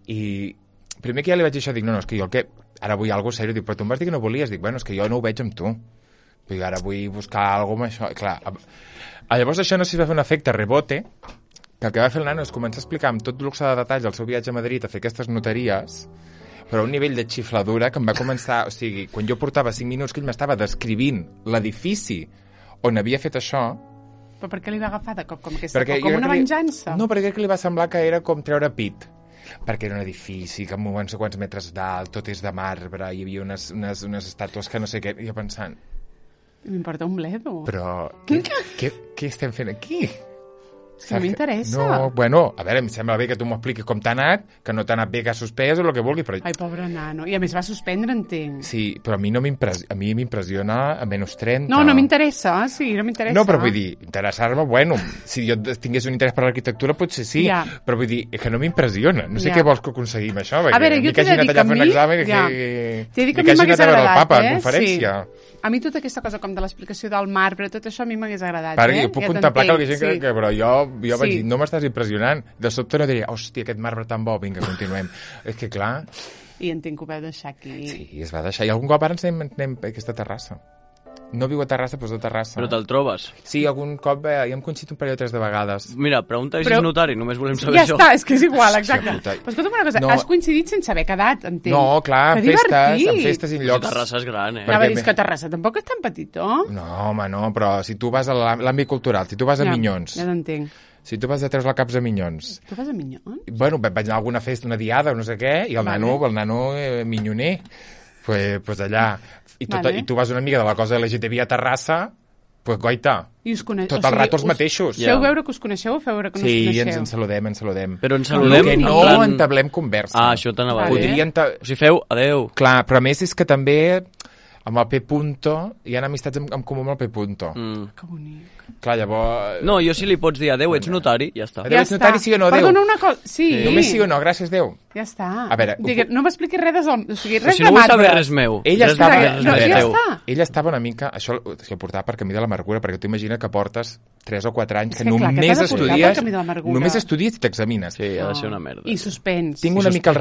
I primer que ja li vaig dir això, dic, no, és que jo el que... Ara vull alguna cosa seriós. Dic, però tu em vas dir que no volies. Dic, bueno, és que jo no ho veig amb tu. Dic, ara vull buscar alguna cosa amb això. I clar, llavors això no sé si va fer un efecte rebote, que el que va fer el nano és començar a explicar amb tot luxe de detalls el seu viatge a Madrid a fer aquestes notaries, però a un nivell de xifladura que em va començar... O sigui, quan jo portava 5 minuts que ell m'estava descrivint l'edifici on havia fet això... Però per què li va agafar de cop com aquesta? Com una venjança? No, perquè crec que li va semblar que era com treure pit. Perquè era un edifici que amb no sé quants metres d'alt, tot és de marbre, hi havia unes estàtues que no sé què, i jo pensant... M'importa un bledo. Però què estem fent aquí? No m'interessa. No, bueno, a veure, em sembla bé que tu m'ho expliquis com t'ha anat, que no t'ha anat bé, que has suspès o el que vulguis, però... Ai, pobre nano. I a més va suspendre, entenc. Sí, però a mi m'impressiona a menys 30. No m'interessa, sí, no m'interessa. No, però vull dir, interessar-me, bueno, si jo tingués un interès per l'arquitectura potser sí, però vull dir, que no m'impressiona. No sé què vols que aconseguim això, a veure, jo t'he de dir que a mi... T'he de dir que a mi m'hagués agradat, A mi tota aquesta cosa com de l'explicació del marbre, tot això a mi m'hagués agradat. Perquè jo puc contemplar que hi ha gent que... Però jo vaig dir, no m'estàs impressionant. De sobte no diria, hòstia, aquest marbre tan bo, vinga, continuem. És que clar... I entenc que ho vau deixar aquí. Sí, es va deixar. I algun cop ara ens anem a aquesta terrassa. No viu a Terrassa, però és de Terrassa. Però te'l trobes? Sí, algun cop ja hem coincidit un parell o 3 de vegades. Mira, pregunta si és notari, només volem saber això. Ja està, és que és igual, exacte. Però escolta'm una cosa, has coincidit sense haver quedat, entenc. No, clar, en festes i en llocs... Terrassa és gran, Anava a dir que Terrassa tampoc és tan petitó. No, home, no, però si tu vas a l'àmbit cultural, si tu vas a Minyons... Ja t'entenc. Si tu vas a treure la caps a Minyons... Tu vas a Minyons? Bueno, vaig anar a alguna festa, una diada o no sé què, i el nano minyoner, pues allà... I tu vas una mica de la cosa LGTB a Terrassa, pues goita, tot el rato els mateixos. Feu veure que us coneixeu o feu veure que no us coneixeu? Sí, ens saludem. Però ens saludem que no entablem conversa. Ah, això t'anava a dir. O sigui, feu adeu. Clar, però a més és que també amb el P. Hi ha amistats en comú amb el P. Que bonic. Clar, llavors... No, jo si li pots dir adeu, ets notari, ja està. Adeu, ets notari, sí o no, adeu. Perdona una cosa, sí. Només sí o no, gràcies, Déu. Ja està. A veure... No m'expliquis res de marbre. Si no vull saber res meu. Ella estava estava una mica... Això ho portava per camí de l'amargura, perquè tu imagina que portes 3 o 4 anys que només estudies i t'examines. Sí, ha de ser una merda. I suspens. Tinc una mica el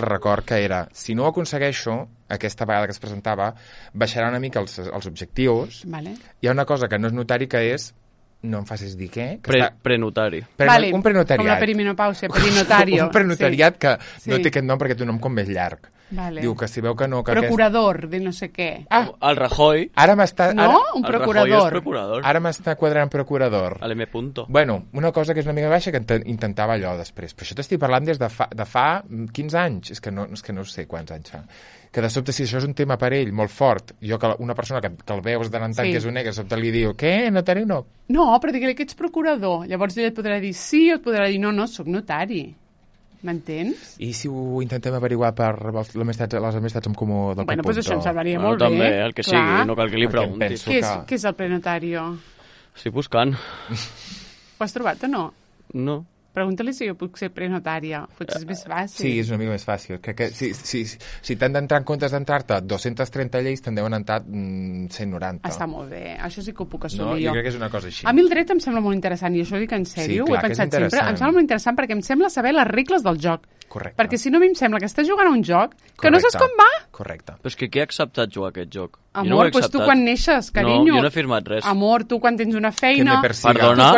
record que era, si no ho aconsegueixo, aquesta vegada que es presentava, baixarà una mica els objectius. Hi ha una cosa que no és notari, que és, no em facis dir què... Prenotari. Un prenotariat. Com la perimenopàusia, perinotario. Un prenotariat que no té aquest nom perquè té un nom com més llarg. Diu que si veu que no... Procurador de no sé què. El Rajoy. Ara m'està... No? Un procurador. El Rajoy és procurador. Ara m'està quadrant procurador. A l'M. Bueno, una cosa que és una mica baixa que intentava allò després. Però això t'estic parlant des de fa 15 anys. És que no sé quants anys fa. Que de sobte, si això és un tema per ell molt fort, jo que una persona que el veus de tant que és un negre, de sobte li diu, què, notari no? No, però digue-li que ets procurador. Llavors ell et podrà dir sí, o et podrà dir no, soc notari. M'entens? I si ho intentem averiguar per les amistats en comú del Bueno, doncs això em semblaria molt bé. També, el que sigui, no cal que li preguntis. Què és el prenotario? Estic buscant. Ho has trobat o no? No. Pregunta-li si jo puc ser prenotària. Potser és més fàcil. Sí, és una mica més fàcil. Crec que si t'han d'entrar en comptes d'entrar-te 230 lleis, te'n deuen entrar 190. Està molt bé. Això sí que ho puc assolir jo. Jo crec que és una cosa així. A mi el dret em sembla molt interessant, i això ho dic en sèrio, ho he pensat sempre. Em sembla molt interessant perquè em sembla saber les regles del joc. Correcte. Perquè si no, a mi em sembla que estàs jugant a un joc que no saps com va. Correcte. Però és que qui ha acceptat jugar a aquest joc? Amor, doncs tu quan neixes, carinyo. No, jo no he firmat res. Amor, tu quan tens una feina... Perdona?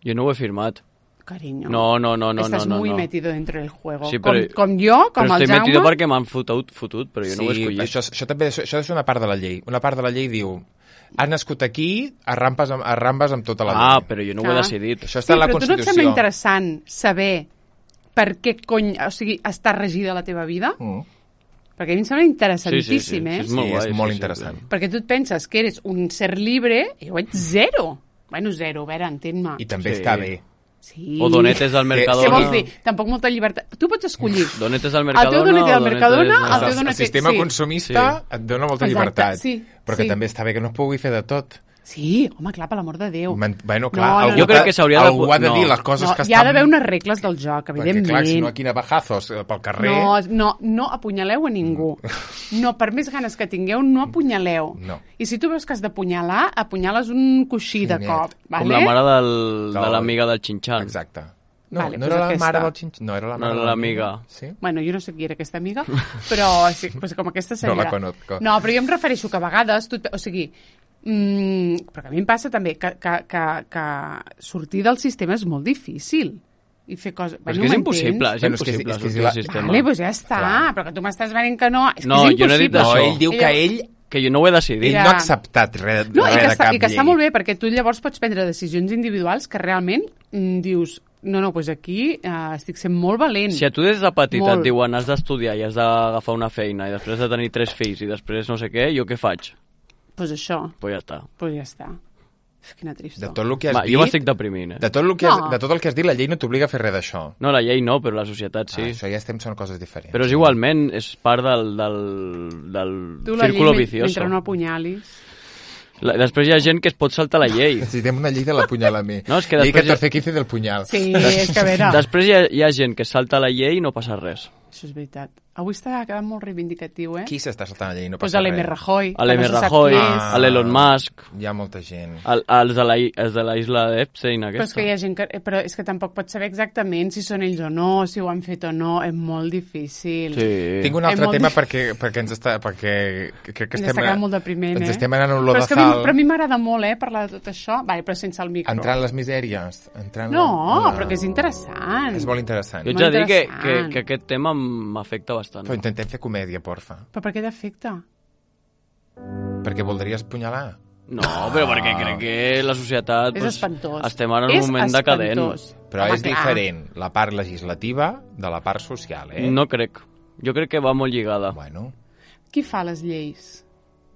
Jo no ho he firmat. Cariño. No. Estás muy metido dentro del juego. Sí, però, com jo, com el Jaume. Però estic metido perquè m'han fotut, però jo no ho he escollit. Això també és una part de la llei. Una part de la llei diu, has nascut aquí, arrambes amb tota la llei. Però jo no ho he decidit. Això està a la Constitució. Però tu no et sembla interessant saber per què cony... O sigui, està regida la teva vida? Perquè a mi em sembla interessantíssim, sí. eh? És molt interessant. Perquè tu et penses que eres un ser libre i jo ets zero. Bueno, zero, a veure, entén-me. I també està bé. Sí. O donetes del Mercadona. Què vols dir? Tampoc molta llibertat. Tu pots escollir. Donetes del Mercadona. El teu donet del Mercadona, el teu donet... El sistema consumista et dona molta llibertat. Però que també està bé que no es pugui fer de tot. Sí, home, clar, per l'amor de Déu. Bueno, clar, jo crec que s'hauria de... Algú ha de dir les coses que estan... Hi ha d'haver unes regles del joc, evidentment. Perquè, clar, si no, aquí navajazos pel carrer... No apunyaleu a ningú. No, per més ganes que tingueu, no apunyaleu. No. I si tu veus que has d'apunyalar, apunyales un coixí de cop. Com la mare de l'amiga del Xinxan. Exacte. No era la mare del Xinxan. No, era l'amiga. Sí? Bueno, jo no sé qui era aquesta amiga, però com aquesta seria... No la conozco. No, però jo em refereixo que a vegades... O sigui, però que a mi em passa també que sortir del sistema és molt difícil i fer coses... Però és que és impossible, sortir del sistema. Vale, doncs ja està, però que tu m'estàs venint que no... És que és impossible. Jo no he dit això. Ell diu que ell... Que jo no ho he decidit. Ell no ha acceptat res de cap llei. I que està molt bé, perquè tu llavors pots prendre decisions individuals que realment dius... No, doncs aquí estic sent molt valent. Si a tu des de petita et diuen has d'estudiar i has d'agafar una feina i després de tenir 3 fills i després no sé què, jo què faig? Pues això. Pues ja està. Pues ja està. Quina tristor. De tot el que has dit... Jo m'estic deprimint, De tot el que has dit, la llei no t'obliga a fer res d'això. No, la llei no, però la societat sí. Això ja són coses diferents. Però és igualment, és part del círculo vicioso. Mentre no apunyalis... Després hi ha gent que es pot saltar la llei. Necessitem una llei de l'apunyalami. No, és que llei 14-15 del punyal. Sí, és que a veure... Després hi ha gent que salta la llei i no passa res. Això és veritat. Avui està quedant molt reivindicatiu, eh? Qui s'està saltant la llei i no Pues passa res? a l'M. Rajoy. A l'M. Rajoy, a l'Elon Musk. Hi ha molta gent. Els de la isla d'Epstein, aquesta. Però és que hi ha gent que... Però és que tampoc pots saber exactament si són ells o no, si ho han fet o no. És molt difícil. Sí. Tinc un altre tema perquè ens està... Perquè crec que ens està quedant molt depriment, ens estem anant un lodazal. Però a mi m'agrada molt, parlar de tot això. Vale, però sense el micro. Entrar en les misèries. Però que és interessant. És molt interessant. Jo ets a dir que aquest tema m'afecta bastant. Però intentem fer comèdia, porfa. Però per què t'afecta? Perquè voldries punyalar. No, però perquè crec que la societat... És espantós. Estem ara en un moment decadent. Però és diferent la part legislativa de la part social, eh? No crec. Jo crec que va molt lligada. Bueno. Qui fa les lleis?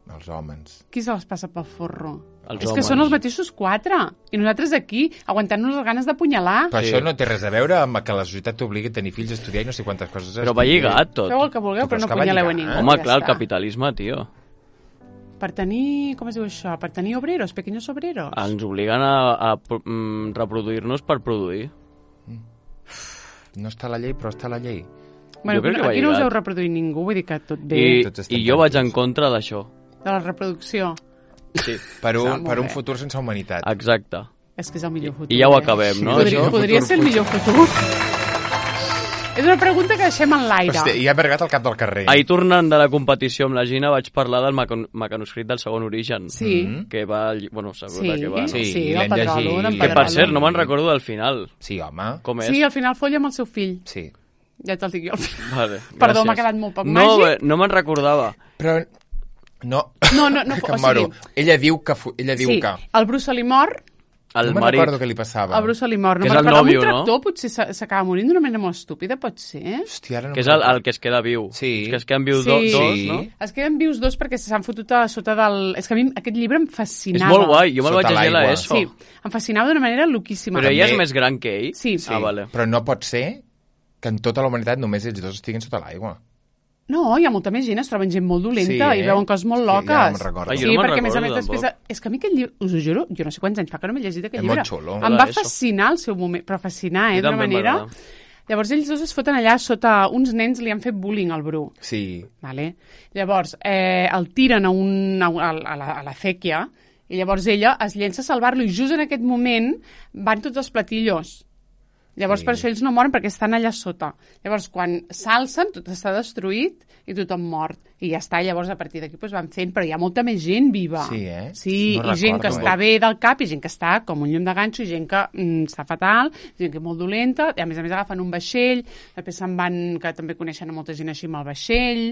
Els homes. Qui se les passa pel forro? Els és homes. Que són els mateixos 4. I nosaltres aquí, aguantant-nos les ganes d'apunyalar. Però això no té res a veure amb que la societat t'obligui a tenir fills, a estudiar i no sé quantes coses. Però va lligat tot. Feu el que vulgueu, però no apunyaleu a ningú. Home, clar, el capitalisme, tio. Per tenir... Com es diu això? Per tenir obreros, pequeños obreros. Ens obliguen a reproduir-nos per produir. No està a la llei, però està a la llei. Bueno, aquí no us heu reproduït ningú, vull dir que tot bé. I jo vaig en contra d'això. De la reproducció. Sí. Per un futur sense humanitat. Exacte. És que és el millor futur. I ja ho acabem, no? Podria ser el millor futur. És una pregunta que deixem en l'aire. Hòstia, i ha vergat al cap del carrer. Ahir, tornant de la competició amb la Gina, vaig parlar del mecanoscrit del segon origen. Sí. Que va... Bueno, segur que va... Sí, el Pedrolo. Que, per cert, no me'n recordo del final. Sí, home. Com és? Sí, al final folla amb el seu fill. Sí. Ja te'l dic jo. Vale, perdó, m'ha quedat molt poc màgic. No me'n recordava. Però... No. No, que o sigui, ella diu que... Sí, el Bruce li mor. El no me'n recordo què li passava. El Bruce li mor. Que és el nòvio, no? Un tractor potser s'acaba morint d'una manera molt estúpida, pot ser? Hòstia, ara no que és el que es queda viu. Sí. Que es queden vius dos, no? Es queden vius dos perquè s'han fotut a sota del... És que a mi aquest llibre em fascinava. És molt guai, jo me'l vaig llegir a l'ESO. Sí, em fascinava d'una manera loquíssima. Però ella és més gran que ell? Sí. Ah, vale. Però no pot ser que en tota la humanitat només ells dos estiguin sota l'aigua. No, hi ha molta més gent, es troben gent molt dolenta i veuen coses molt loques. Ja me'n recordo. Sí, perquè a més a més després... És que a mi aquest llibre, us ho juro, jo no sé quants anys fa que no m'he llegit aquest llibre. És molt xulo. Em va fascinar al seu moment, però fascinar, d'una manera... Llavors ells dos es foten allà sota... Uns nens li han fet bullying al Bru. Sí. Vale? Llavors el tiren a la sèquia i llavors ella es llença a salvar-lo i just en aquest moment van tots els platillos. Llavors, per això ells no moren, perquè estan allà sota. Llavors, quan s'alcen, tot està destruït i tothom mort. I ja està, llavors a partir d'aquí van fent, però hi ha molta més gent viva. Sí, eh? Sí, no i gent que està bé del cap, i gent que està com un llum de ganxo, i gent que està fatal, gent que és molt dolenta, i a més agafen un vaixell, després se'n van, que també coneixen a molta gent així amb el vaixell,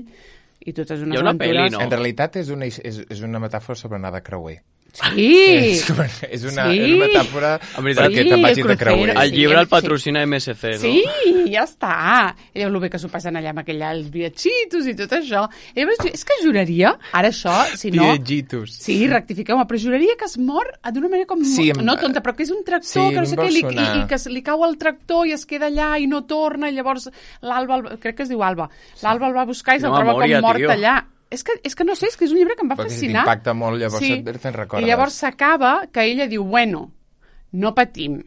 i totes unes aventures. Peli, no? En realitat és una metàfora sobre anar de creuer. Sí. És una metàfora perquè te'n vagis de creuer. El llibre el patrocina MSC, no? Sí, ja està. Ella el bé que s'ho passen allà amb els viatgitos i tot això. És que juraria, ara això, si no... Viatgitos. Sí, rectifiqueu-me, però juraria que es mor d'una manera com... Sí, no tonta, però que és un tractor, que no sé què, i que li cau el tractor i es queda allà i no torna, i llavors l'Alba, crec que es diu Alba, l'Alba el va buscar i se'l troba com mort allà. És que no sé, és que és un llibre que em va fascinar. Perquè t'impacta molt, llavors te'n recordes. I llavors s'acaba que ella diu, bueno, no patim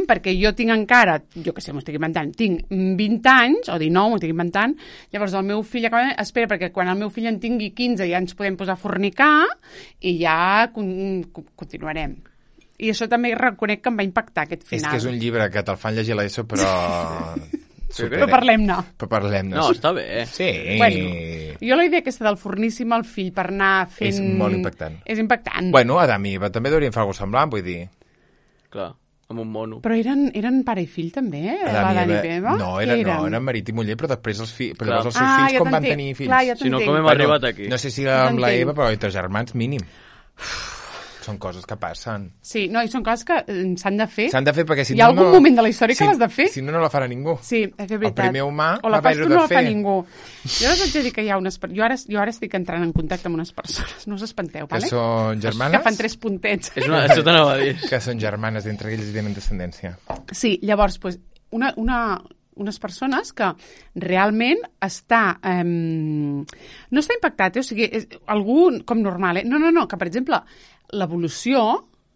perquè jo tinc encara, jo què sé, m'ho estic inventant, tinc 20 anys, o 19, m'ho estic inventant, llavors el meu fill espera, perquè quan el meu fill en tingui 15 ja ens podem posar a fornicar i ja continuarem. I això també reconec que em va impactar, aquest final. És que és un llibre que te'l fan llegir a l'ESO, però... Però parlem-ne. No, està bé. Sí. Bueno, jo la idea aquesta del forníssim al fill per anar fent... És molt impactant. És impactant. Bueno, Adam i Eva també deurien fer alguna cosa semblant, vull dir. Clar, amb un mono. Però eren pare i fill també, Adam i Eva? No, eren marit i muller, però després els seus fills com van tenir fills. Clar, ja si no, com hem arribat aquí? No sé si amb la Eva, però entre germans mínim. Són coses que passen. Sí, no, i són coses que s'han de fer. S'han de fer perquè si no... Hi ha algun moment de la història que l'has de fer. Si no, no la farà ningú. Sí, és veritat. El primer humà o la fas tu, no la fa ningú. Jo us haig de dir que hi ha unes... Jo ara estic entrant en contacte amb unes persones, no us espanteu, vale? Que són germanes? Que fan 3 puntets. Això t'anava a dir. Que són germanes, entre ells tenen descendència. Sí, llavors, pues, unes persones que realment està... no està impactat, o sigui, algú com normal, No, que per exemple, l'evolució,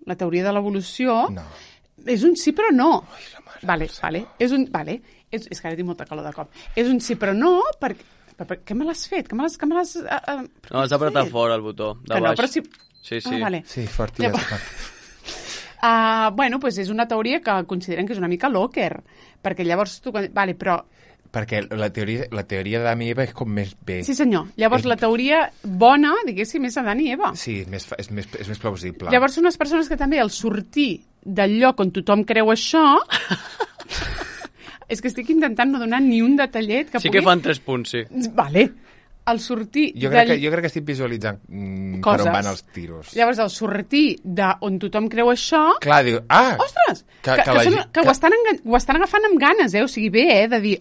la teoria de l'evolució, és un sí però no. Vale. És que ara tinc molta calor de cop. És un sí però no perquè... Què me l'has fet? No, has d'apretar fort el botó de baix. No, però si... Sí. Vale. Sí, fort i ja està. Bueno, pues és una teoria que consideren que és una mica locker, perquè llavors tu... Vale, però... Perquè la teoria d'Adam i Eva és com més bé. Sí, senyor. Llavors, la teoria bona, diguéssim, és Adam i Eva. Sí, és més plausible. Llavors, són unes persones que també, al sortir del lloc on tothom creu això... és que estic intentant no donar ni un detallet que pugui... Sí que fan 3 punts, sí. Vale. Al sortir... Jo crec que estic visualitzant per on van els tiros. Llavors, al sortir d'on tothom creu això... Clar, diu... Ostres! Que ho estan agafant amb ganes, O sigui, bé, de dir...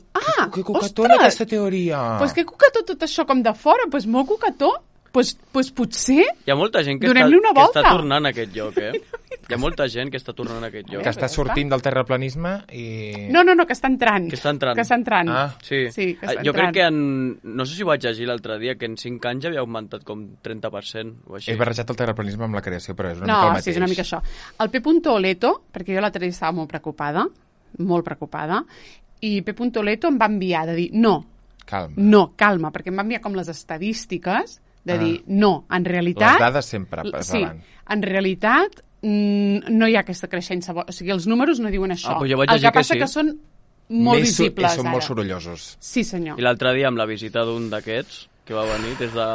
Que cucatona aquesta teoria! Pues que cucató tot això com de fora, pues molt cucató. Pues potser... Hi ha molta gent que està tornant a aquest lloc, Hi ha molta gent que està tornant a aquest lloc. Que està sortint del terraplanisme i... No, que està entrant. Que està entrant. Ah, sí. Jo crec que no sé si ho vaig llegir l'altre dia, que en 5 anys ja havia augmentat com 30% o així. He barrejat el terraplanisme amb la creació, però és una mica el mateix. Sí, és una mica això. El P. Leto, perquè jo l'altre dia estava molt preocupada, i P. Leto em va enviar de dir calma, perquè em va enviar com les estadístiques de dir, no, en realitat... Les dades sempre passaran. Sí, en realitat no hi ha aquesta creixença. O sigui, els números no diuen això. Però jo vaig llegir el que passa que són molt visibles, són molt sorollosos. Sí, senyor. I l'altre dia, amb la visita d'un d'aquests, que va venir des de...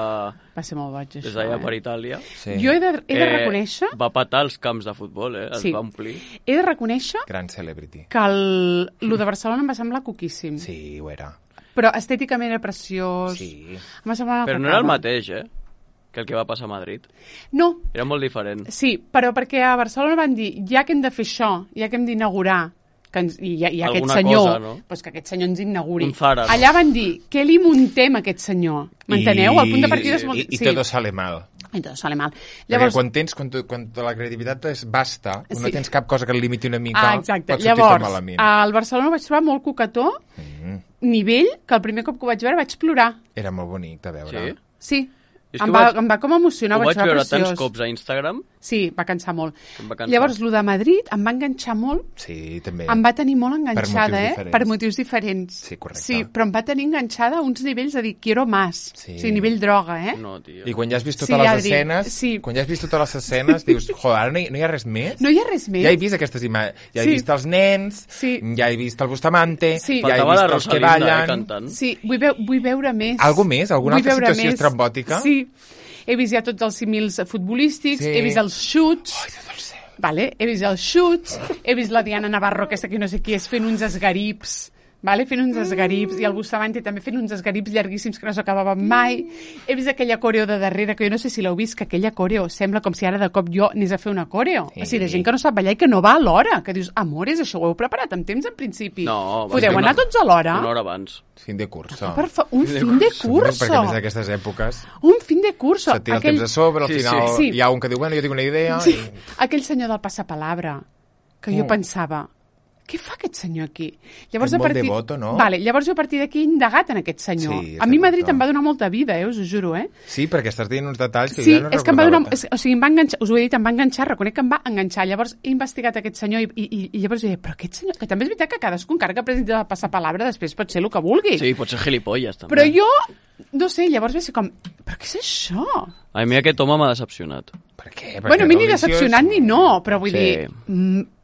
Va ser molt boig, això, des d'allà per Itàlia. Sí. Jo he de reconèixer... Va patar els camps de futbol, Els va omplir. He de reconèixer... Gran celebrity. Que lo de Barcelona em va semblar coquíssim. Sí, ho era. Però estèticament era preciós. Sí. Però no era el mateix, que el que va passar a Madrid. No. Era molt diferent. Sí, però perquè a Barcelona van dir, ja que hem de fer això, ja que hem d'inaugurar, i aquest senyor, cosa, no? Pues que aquest senyor ens inauguri. Un Zara, no? Allà van dir, què li muntem a aquest senyor? M'enteneu? El punt de partida és molt... I tot sale mal. I tot sale mal. Llavors... Perquè quan la creativitat és basta, no tens cap cosa que el limiti una mica, exacte. pot sortir-te malament. Llavors, al Barcelona ho vaig trobar molt cucató, nivell, que el primer cop que ho vaig veure vaig plorar. Era molt bonic de veure. Sí. Em va com emocionar, ho vaig veure preciós. tants cops a Instagram. Sí, va cansar molt. Llavors, el de Madrid em va enganxar molt. Sí, també. Em va tenir molt enganxada, per motius diferents. Sí, correcte. Sí, però em va tenir enganxada a uns nivells de dir, quiero más. Sí. O sigui, nivell droga, No, tio. I quan ja has vist totes les escenes, dius, joder, ara no hi ha res més? No hi ha res més. Ja he vist aquestes imatges. Ja he vist els nens, ja he vist el Bustamante, ja he vist els que ballen. Sí, vull veure més. Algú més? Alguna altra situació estrambòtica? Sí. He vist ja tots els símils futbolístics, he vist els xuts... He vist els xuts, he vist la Diana Navarro, aquesta que no sé qui és, fent uns esgarips, vale? Fent uns esgarips, i el Bustamante també fent uns esgarips llarguíssims que no s'acabaven mai. He vist aquella coreo de darrere, que jo no sé si l'heu vist, que aquella coreo sembla com si ara de cop jo anés a fer una coreo. Sí. O sigui, de gent que no sap ballar i que no va a l'hora, que dius, amores, això ho heu preparat amb temps en principi. No, podeu anar tots a l'hora? Una hora abans. Fin de curso. Un fin de curso. Perquè més d'aquestes èpoques... Un fin de curso. Se tira el temps a sobre, al final hi ha un que diu, bueno, jo tinc una idea... Sí. Aquell senyor del passapalabra, que jo pensava, què fa aquest senyor aquí? Llavors, és molt devoto, no? Vale, llavors jo a partir d'aquí he indagat en aquest senyor. Sí, a mi Madrid em va donar molta vida, us ho juro, Sí, perquè estàs dient uns detalls que ja no és que em va donar... O sigui, em va enganxar, us ho he dit, em va enganxar, reconec que em va enganxar. Llavors he investigat aquest senyor i llavors he dit, però aquest senyor... Que també és veritat que cadascú, encara que presenti el passapalabra, després pot ser el que vulgui. Sí, pot ser gilipolles, també. Però jo, no sé, llavors va ser com, però què és això? A mi aquest home m'ha decepcionat. Per què? Bueno, a mi ni decepcionat ni no, però vull dir...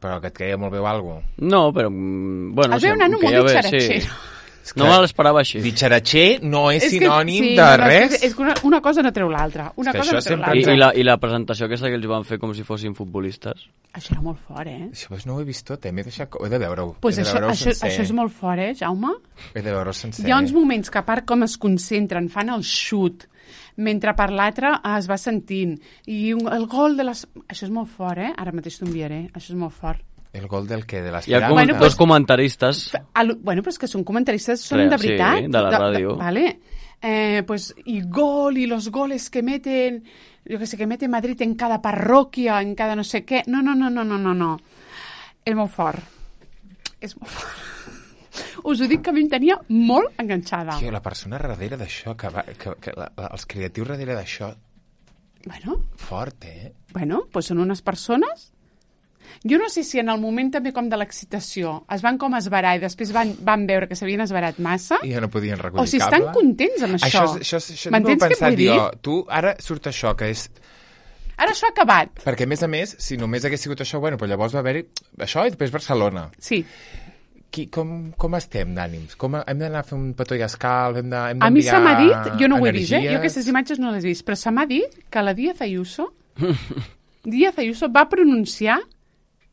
Però que et queia molt bé o alguna cosa? No, però... Bueno, es veu un nano molt ditxaratxer. No me l'esperava així. Ditxaratxer no és sinònim de res. És que una cosa no treu l'altra. Una cosa no treu l'altra. I la presentació aquesta que ells van fer com si fossin futbolistes. Això era molt fort, Això no ho he vist tot, m'he deixat... He de veure-ho. Pues això és molt fort, Jaume? He de veure-ho sencer. Hi ha uns moments que a part com es concentren, fan el xut, mentre per l'altre es va sentint. I el gol de les... Això és molt fort, Ara mateix t'ho enviaré. Això és molt fort. El gol del què? De hi ha dos comentaristes. Bueno, però és que són comentaristes, són de veritat. Sí, de la ràdio. Vale. Y gol, y los goles que meten, yo que sé, que mete Madrid en cada parroquia, en cada no sé què. No. És molt fort. És molt fort. Us ho dic que a mi em tenia molt enganxada. Tio, la persona darrere d'això, els creatius darrere d'això... Bueno. Fort, Bueno, doncs són unes persones... Jo no sé si en el moment també com de l'excitació es van com esverar i després van veure que s'havien esverat massa i ja no podien recollir o si estan contents amb això. Això m'entens què vull dir? Tu, ara surt això, que és... Ara això ha acabat. Perquè, a més, si només hagués sigut això, bueno, però llavors va haver-hi això i després Barcelona. Sí. Com estem d'ànims? Hem d'anar a fer un petó i escal? A mi se m'ha dit, jo no ho he vist, jo aquestes imatges no les he vist, però se m'ha dit que la Díaz Ayuso va pronunciar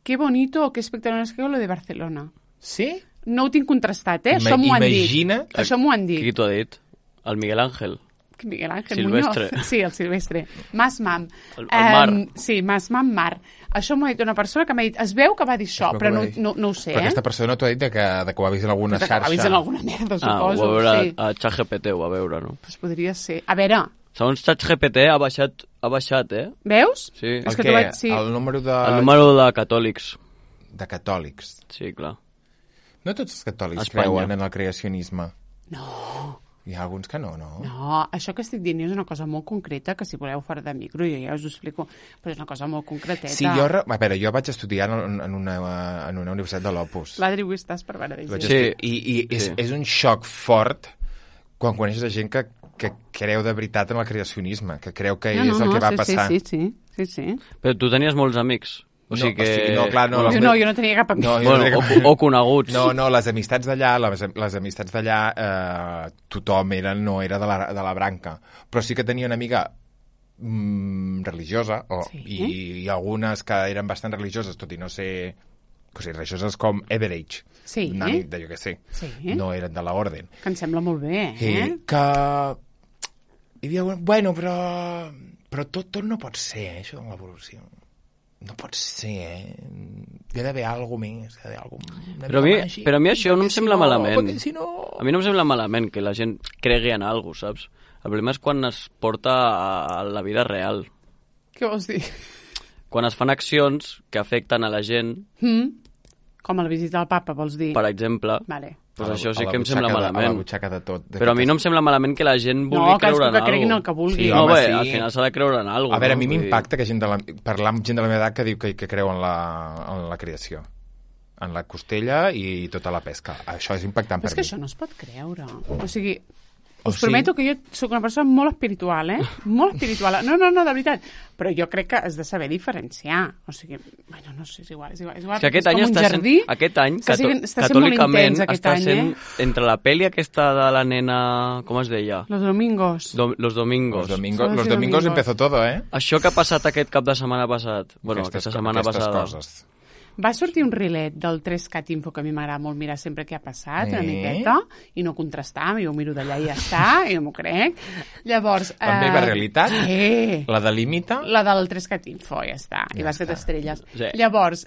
qué bonito o qué espectacular es que lo de Barcelona. Sí? No ho tinc contrastat, Això m'ho han dit. Això m'ho han dit. Qui t'ho ha dit? El Miguel Ángel. Miguel Ángel Silvestre. Muñoz. Sí, el Silvestre. Mas Mam. El Mar. Sí, Mas Mam Mar. Això m'ho ha dit una persona que m'ha dit... Es veu que va dir això, però no ho sé, Però aquesta persona t'ho ha dit que ho ha vist en alguna xarxa. Ho ha vist en alguna merda, suposo. Ho va veure a ChatGPT, ho va veure, no? Pues podria ser. A veure... Segons ChatGPT ha baixat, Veus? Sí. El què? Sí. El número de catòlics. De catòlics? Sí, clar. No tots els catòlics creuen en el creacionisme. No. Hi ha alguns que no. No, això que estic dient és una cosa molt concreta, que si voleu fora de micro jo ja us ho explico, però és una cosa molt concreteta. Sí, jo vaig estudiar en una universitat de l'Opus. L'Adri, avui estàs per veure. Sí. I és un xoc fort quan coneixes gent que creu de veritat en el creacionisme, que creu que és el que va passar. Sí. Però tu tenies molts amics. Jo no tenia cap amic. O coneguts. No, les amistats d'allà, tothom no era de la branca. Però sí que tenia una amiga religiosa, i algunes que eren bastant religioses, tot i no ser... O sigui, religioses com Everage. Sí. Una nit de, jo què sé. Sí. No eren de l'orden. Que em sembla molt bé, que... Hi havia... Bueno, però tot no pot ser, això de l'evolució. No pot ser, Hi ha d'haver alguna més. Però a mi això no em sembla malament. A mi no em sembla malament que la gent cregui en alguna cosa, saps? El problema és quan es porta a la vida real. Què vols dir? Quan es fan accions que afecten a la gent... Com a la visita al papa, vols dir? Per exemple. Vale. Pues això sí que em sembla malament. A la butxaca de tot. Però a mi no em sembla malament que la gent vulgui creure en alguna cosa. No, que creguin el que vulgui. Sí, home, al final s'ha de creure en alguna cosa. A veure, a mi m'impacta que parlar amb gent de la meva edat que diu que creu en la creació. En la costella i tota la pesca. Això és impactant per mi. És que això no es pot creure. O sigui... Us prometo que jo soc una persona molt espiritual, Molt espiritual. No, de veritat. Però jo crec que has de saber diferenciar. O sigui, bueno, no sé, és igual. És que aquest any catòlicament està sent entre la pel·li aquesta de la nena... Com es deia? Los Domingos. Los Domingos empezó todo, Això que ha passat aquest cap de setmana passat. Bueno, aquesta setmana passada. Coses. Va sortir un rilet del 3CAT Info, que a mi m'agrada molt mirar sempre què ha passat, una miqueta, i no contrastar, jo ho miro d'allà i ja està, i no m'ho crec. Llavors... La meva realitat? La de Límita? La del 3CAT Info, ja està, i bàsquet estrelles. Sí. Llavors,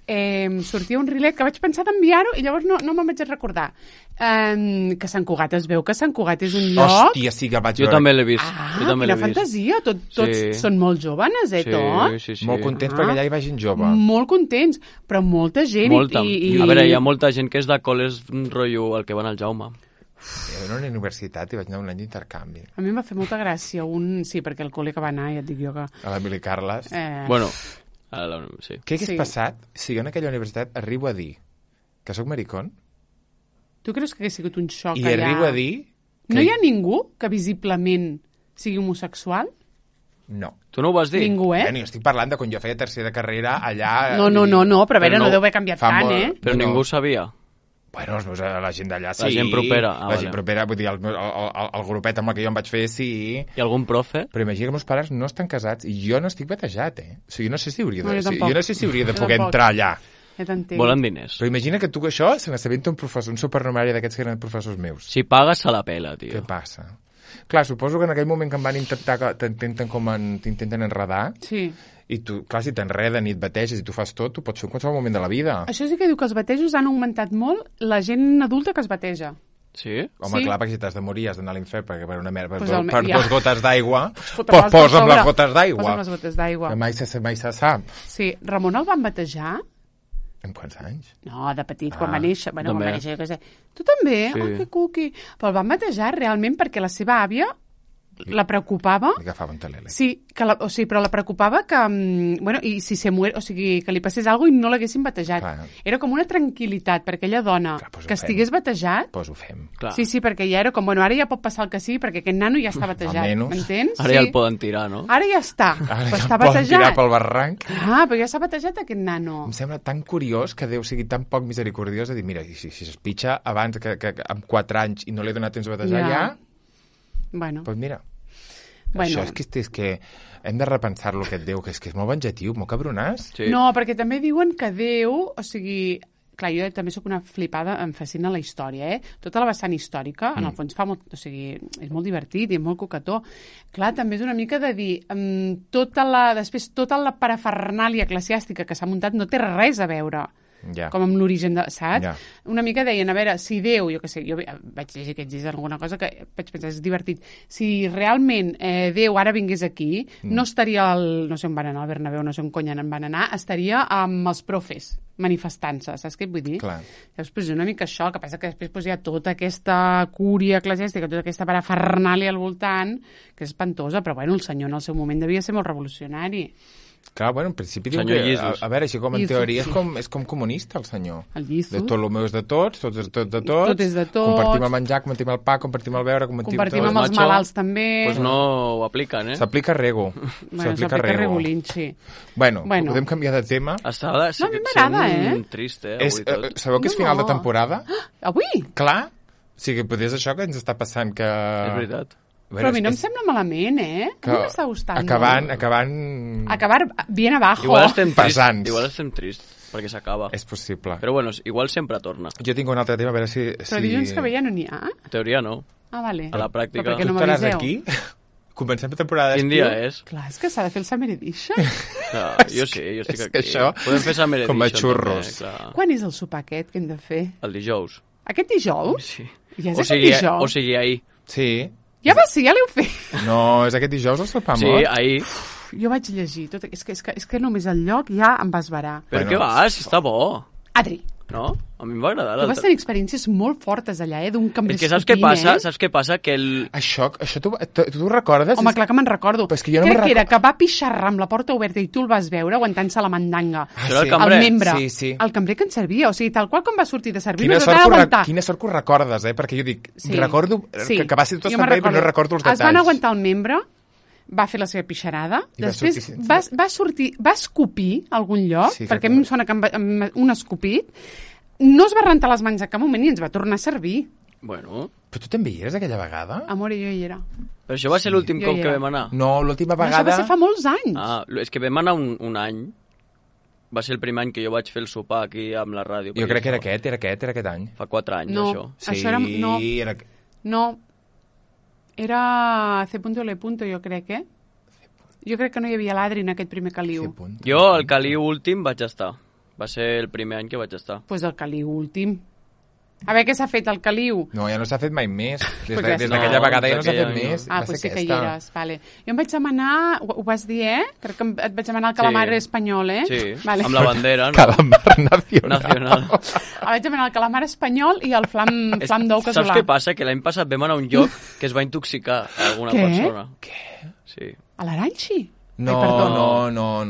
sortia un rilet que vaig pensar d'enviar-ho i llavors no me'n vaig recordar. Que Sant Cugat es veu que Sant Cugat és un lloc... Hòstia, sí que el vaig veure. Jo també l'he vist. Quina fantasia, tots són molt jóvenes, tots. Sí. Molt contents perquè allà hi va gent jove. Molt contents, però molta gent. Molta. A veure, hi ha molta gent que és de col·les rotllo el que van al Jaume. Jo a una universitat i vaig anar un any d'intercanvi. A mi em va fer molta gràcia sí, perquè el col·le que va anar, ja et dic jo que... A l'Emili Carles. Bueno, sí. Què hagués passat si jo en aquella universitat arribo a dir que sóc maricón? Tu creus que hagués sigut un xoc allà? I arribo a dir... No hi ha ningú que visiblement sigui homosexual? No. Tu no ho vas dir? Ningú, Jo estic parlant de quan jo feia tercera carrera allà... No, però a veure, no deu haver canviat tant, Però ningú ho sabia. Bueno, la gent d'allà sí. La gent propera. Gent propera, vull dir, el grupet amb el que jo em vaig fer, sí. I algun profe? Però imagina que meus pares no estan casats i jo no estic batejat, O sigui, no sé si hauria de poder entrar allà. Volen diners. Però imagina que tu això se n'assabenta un professor, un supernumeri d'aquests que eren professors meus. Si pagues, se la pela, tio. Què passa? Clar, suposo que en aquell moment que em van t'intenten enredar, sí. I tu, clar, si t'enreden i et bateges i tu fas tot, tu pots fer en qualsevol moment de la vida. Això sí que diu que els batejos han augmentat molt la gent adulta que es bateja. Sí? Home, sí. Clar, perquè si t'has de morir has d'anar a l'infern perquè per una merda, pues per 2 gotes d'aigua, posa'm les gotes d'aigua. Posa'm les gotes d'aigua. Que mai se sap. Sí, Ramon el van batejar? En quants anys? No, de petit, quan va néixer. Bueno, quan va néixer, jo què sé. Tu també? Sí. Oh, que cuqui. Però el van batejar realment perquè la seva àvia la preocupava... Li agafava un telele. Sí, però la preocupava que... Bueno, i si se muere, o sigui, que li passés alguna cosa i no l'haguessin batejat. Clar. Era com una tranquil·litat per aquella dona que estigués batejat. Doncs ho fem. Clar. Sí, perquè ja era com, bueno, ara ja pot passar el que sí, perquè aquest nano ja està batejat. M'entens? Ara ja el poden tirar, no? Ara ja està. Ara ja el poden tirar pel barranc. Però ja s'ha batejat aquest nano. Em sembla tan curiós que Déu sigui tan poc misericordiós de dir, mira, si es pitja abans que amb 4 anys i no li he donat temps a batejar ja... Bueno. Doncs mira... Això és que hem de repensar lo que et Déu, que és molt venjatiu, molt cabronàs. Sí. No, perquè també diuen que Déu, o sigui... Clar, jo també sóc una flipada, em fascina la història, Tota la vessant històrica, en el fons fa molt... O sigui, és molt divertit i és molt coquetó. Clar, també és una mica de dir... Després, tota la parafernàlia eclesiàstica que s'ha muntat no té res a veure com amb l'origen, saps? Una mica deien, a veure, si Déu, jo què sé, jo vaig llegir aquests dies alguna cosa que vaig pensar, és divertit, si realment Déu ara vingués aquí, no estaria no sé on van anar, al Bernabéu, no sé on cony en van anar, estaria amb els profes manifestant-se, saps què et vull dir? Clar. Llavors, una mica això, el que passa que després hi ha tota aquesta cúria eclesiàstica, tota aquesta parafernàlia al voltant, que és espantosa, però bueno, el senyor en el seu moment devia ser molt revolucionari. Clar, bueno, en principi diu que... A veure, així com en teoria és com comunista, el senyor. El Lliços. De Ptolomeu és de tots, tot és de tots. Tot és de tots. Compartim el menjar, compartim el pa, compartim el beure, compartim amb els malalts també. Doncs no ho apliquen, S'aplica rego. S'aplica regulint, sí. Bueno, podem canviar de tema. No, a mi m'agrada, trist, avui tot. Sabeu que és final de temporada? Avui? Clar. O sigui, potser és això que ens està passant que... És veritat. Però a mi no em sembla malament, A mi m'està gustant Acabar bien abajo. Igual estem tristos, perquè s'acaba. És possible. Però bueno, igual sempre torna. Jo tinc un altre tema, a veure si... Però dilluns que ve ja no n'hi ha? En teoria no. Ah, vale. A la pràctica. Però perquè no m'aviseu. Tu estaràs aquí? Comencem la temporada d'estiu? Quin dia és? Clar, és que s'ha de fer el Summer Edition. Jo estic aquí. Això, podem fer Summer Edition. Com a xurros. Quan és el sopar aquest que hem de fer? El dijous. Aquest dijous? Sí. Ja és aquest dijous? O sigui, ahir. Sí. Ja l'heu fet. No, és aquest dijous el sopar mort? Sí, ahir. Jo vaig llegir tot. És que només el lloc ja em va esbarar. Però què vas? Està bo. Adri. No? A mi em va agradar. Tu vas tenir experiències molt fortes allà, d'un cambrer escopint, saps què passa? Saps què passa? Que Això tu recordes? Home, clar que me'n recordo. Crec que era que va pixarrar amb la porta oberta i tu el vas veure aguantant-se la mandanga. Això era el cambrer? El membre. Sí. El cambrer que ens servia. O sigui, tal qual com va sortir de servir, quina sort que ho recordes, perquè jo dic, recordo que va ser tot estant bé, però no recordo els detalls. Es van aguantar el membre, va fer la seva pixarada, després va escopir a algun lloc, perquè a mi em sona que un escopit, no es va rentar les mans a cap moment i ens va tornar a servir. Bueno. Però tu també hi eres aquella vegada? Amor, jo hi era. Però això va ser l'últim cop que vam anar? No, l'última vegada... Això va ser fa molts anys. És que vam anar un any. va ser el primer any que jo vaig fer el sopar aquí amb la ràdio. Jo crec que era aquest any. Fa 4 anys, no, això. Sí, això era... No, era C.L. jo crec, Jo crec que no hi havia l'Adri en aquest primer Caliu. Jo, el Caliu últim, vaig estar. Va ser el primer any que vaig estar. Pues el Caliu últim. A veure què s'ha fet, el Caliu? No, ja no s'ha fet mai més. Des d'aquella vegada ja no s'ha fet més. Ah, doncs sí que hi eres. Vale. Jo em vaig demanar, ho vas dir, Crec que et vaig demanar el calamar espanyol, Sí, vale. Amb la bandera. No? Calamar nacional. Vaig demanar el calamar espanyol i el flam d'ou casolà. Saps què passa? Que l'any passat vam anar a un lloc que es va intoxicar alguna persona. Què? Sí. A l'Aranxi? No.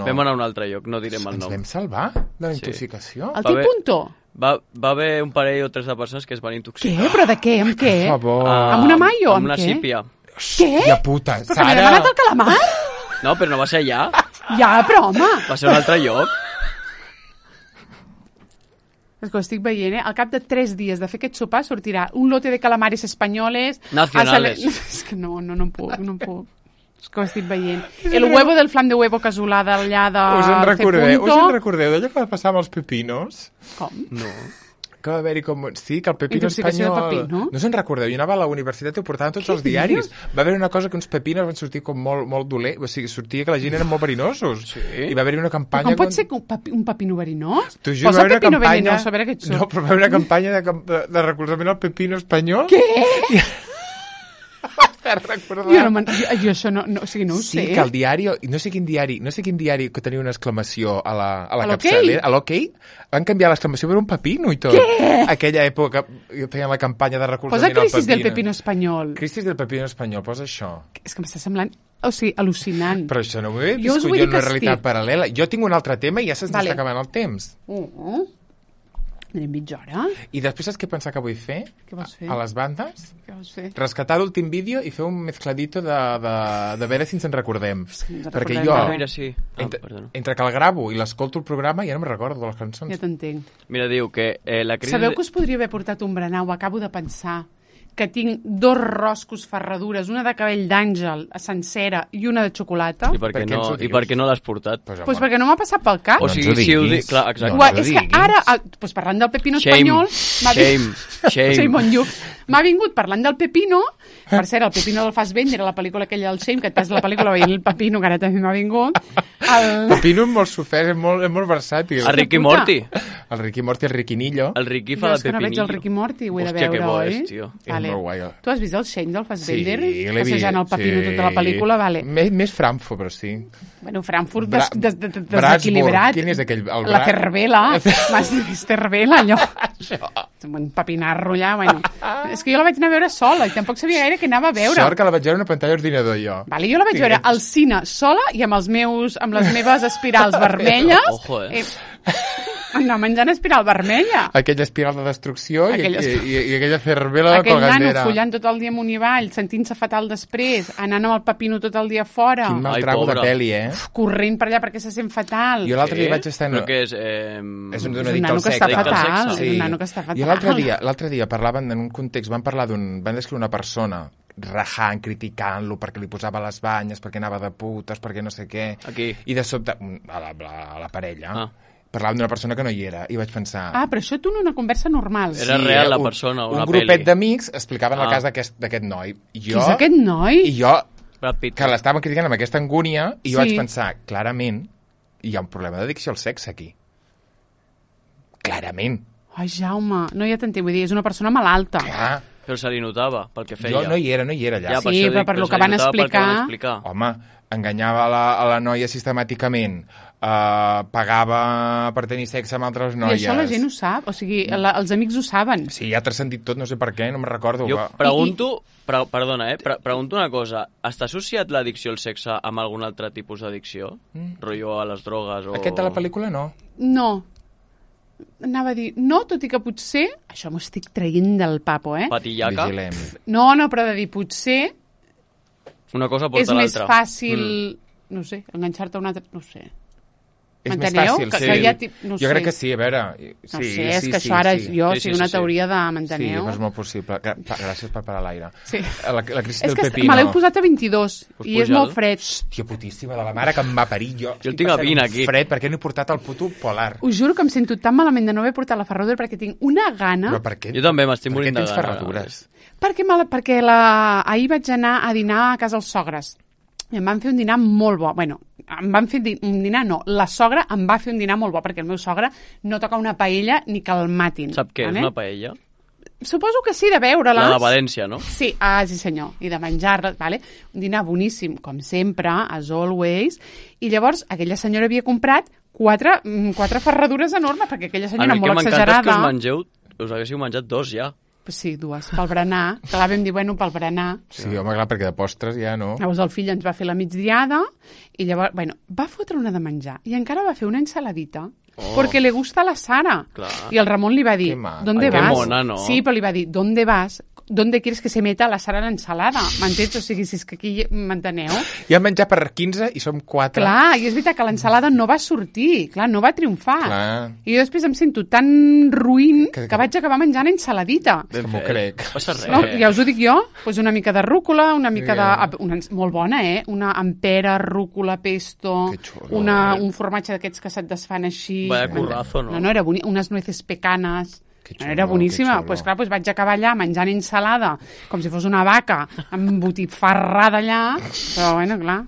Vam anar a un altre lloc, no direm el nom. Ens vam salvar de la intoxicació? El T-Punto? Va haver un parell o 3 de persones que es van intoxicar. Què? Però de què? Amb què? Per favor. Amb una maio? Amb una sípia. Què? Hòstia puta, Però que m'he demanat el calamar? No, però no va ser allà. Ja, però home. Va ser un altre lloc. És que ho estic veient, Al cap de 3 dies de fer aquest sopar sortirà un lote de calamares espanyoles... Nacionales. És que no puc. És que ho estic veient. El huevo del flam de huevo casolà d'allà de Us en recordeu d'allò que va passar amb els pepinos? Com? No. Que va haver-hi com... Sí, que el pepino espanyol... Pepino. No se'n recordeu? Jo anava a la universitat i ho portaven tots els diaris. Va haver una cosa que uns pepinos van sortir com molt dolents. O sigui, sortia que la gent eren molt verinosos. Sí. I va haver-hi una campanya... Com pot ser un pepino verinós? T'ho juro, Posa pepino verinós, a veure què et surt. No, però va haver una campanya de recolzament al pepino espanyol. Què? Jo això no ho sé. Sí, que el diari, no sé quin diari que tenia una exclamació a la capçalera, a l'Okey, van canviar l'exclamació per un pepino i tot. Què? Aquella època feien la campanya de recolzament al pepino. Posa Crisis del pepino espanyol. Crisis del pepino espanyol, posa això. És que m'està semblant, al·lucinant. Però això no ho he viscut jo en una realitat paral·lela. Jo tinc un altre tema i ja se'ns està acabant el temps. Anem mitja hora. I després saps què pensar que vull fer? Què vols fer? A les bandes? Què vols fer? Rescatar l'últim vídeo i fer un mezcladito de veure si ens en recordem. Perquè jo, mira, sí. entre que el gravo i l'escolto el programa, ja no me'n recordo de les cançons. Ja t'entenc. Mira, diu que la crisi... Sabeu que us podria haver portat un berenar? Ho acabo de pensar. Que tinc 2 roscos ferradures, una de cabell d'àngel sencera i una de xocolata. I per què no l'has portat? Pues perquè no m'ha passat pel cap. O sigui, si ho dic... Clar, exacte. És que ara, pues parlant del pepino espanyol... Shame on you. M'ha vingut parlant del pepino. Per cert, el pepino del Fassbender, la pel·lícula aquella del Shame, que t'has la pel·lícula veient el pepino, que ara també m'ha vingut. El pepino és molt sofert, és molt versàtil. El Ricky Morty. El Ricky Morty, el Riquinillo. El Ricky fa de pepinillo. Jo és que no veig el Ricky Morty, ho he de veure, oi? Hòstia, que bo és, tio. Vale. És molt guai. Tu has vist el Shame del Fassbender? Sí, l'he vist. Passejant el pepino tota la pel·lícula, vale. Més Frankfurt, però sí. Bueno, Frankfurt desequilibrat. Quin és aquell? La Cervela. M'has vist Cervela, allò. Un papinarro allà, bueno. És que jo la vaig anar a veure sola i tampoc sabia gaire què anava a veure. Sort que la vaig veure en una pantalla ordinador, jo. Vale, jo la vaig veure al cine sola i amb les meves espirals vermelles. Ojo, anar menjant espiral vermella. Aquella espiral de destrucció i aquella cervela de colgandera. Aquell nano follant tot el dia amunt i avall, sentint-se fatal després, anant amb el pepino tot el dia fora. Quin mal trago de peli, corrent per allà perquè se sent fatal. Jo l'altre dia vaig estar... Però què és? És un nano que està fatal. És un nano que està fatal. I l'altre dia parlaven en un context, van descriure una persona rajant, criticant-lo perquè li posava les banyes, perquè anava de putes, perquè no sé què. Aquí. I de sobte, a la parella... Parlaven d'una persona que no hi era i vaig pensar... però això tu en una conversa normal. Era real la persona, una pel·li. Un grupet d'amics explicaven el cas d'aquest noi. Qui és aquest noi? I jo, que l'estaven criticant amb aquesta angúnia, i jo vaig pensar, clarament, hi ha un problema d'addicció al sexe aquí. Clarament. Ai, Jaume, no ja t'entenc, vull dir, és una persona malalta. Clar. Però se li notava, pel que feia. Jo no hi era allà. Ja, sí, però per lo que van explicar... Home, enganyava a la noia sistemàticament, pagava per tenir sexe amb altres noies. I això la gent ho sap, o sigui, els amics ho saben. Sí, ja t'has sentit tot, no sé per què, no me'n recordo. Jo pregunto, perdona, pregunto una cosa, està associat l'addicció al sexe amb algun altre tipus d'addicció? Rotllo a les drogues o... Aquest de la pel·lícula no. No. Anava a dir, no, tot i que potser... Això m'ho estic traient del papo, Patillaca? Vigilem. No, però de dir, potser... Una cosa porta l'altra. És més fàcil, no sé, enganxar-te a una altra... No sé. És més fàcil, sí. Jo crec que sí, a veure... No sé, és que això ara jo sigui una teoria de m'enteneu. Sí, però és molt possible. Gràcies per parar l'aire. Sí. La crisi del pepino. Me l'heu posat a 22 i és molt fred. Hòstia putíssima de la mare que em va parir jo. Jo el tinc a 20 aquí. Fred, perquè no he portat el puto polar. Us juro que em sento tan malament de no haver portat la ferradura perquè tinc una gana... Però per què? Jo també m'estic morint de gana. Per què tens ferradures? Perquè ahir vaig anar a dinar a casa els sogres. I em van fer un dinar molt bo. Bueno, em van fer un dinar, no. La sogra em va fer un dinar molt bo, perquè el meu sogre no toca una paella ni que el matin. Sap què és una paella? Suposo que sí, de veure-les. La de València, no? Sí, sí senyor. I de menjar-les, vale? Un dinar boníssim, com sempre, as always. I llavors aquella senyora havia comprat quatre ferradures enormes, perquè aquella senyora molt exagerada... A mi el que m'encanta és que us haguéssiu menjat 2 ja. Pues sí, 2, pel berenar. Clar, vam dir, bueno, pel berenar. Sí, home, clar, perquè de postres ja no. Llavors el fill ens va fer la migdiada i llavors, bueno, va fotre una de menjar i encara va fer una ensaladita. Porque le gusta a la Sara. Clar. I el Ramon li va dir, ¿dónde vas? Qué mona, no? Sí, però li va dir, ¿dónde vas? ¿Dónde quieres que se meta la Sara l'ensalada? M'entens? O sigui, si és que aquí m'enteneu? Ja hem menjat per 15 i som 4. Clar, i és veritat que l'ensalada no va sortir, clar, no va triomfar. Clar. I jo després em sento tan ruïn que vaig acabar menjant ensaladita. M'ho crec. No passa res. No, ja us ho dic jo, pues una mica de rúcula, una mica de... molt bona, Una ampera, rúcula, pesto, un formatge d'aquests que se't desfan així. Vaya currazo, no? No, era bonic, unes nueces pecanas. Era boníssima. Pues clar, vaig acabar allà menjant ensalada com si fos una vaca embotifarrada allà, però bueno, clar.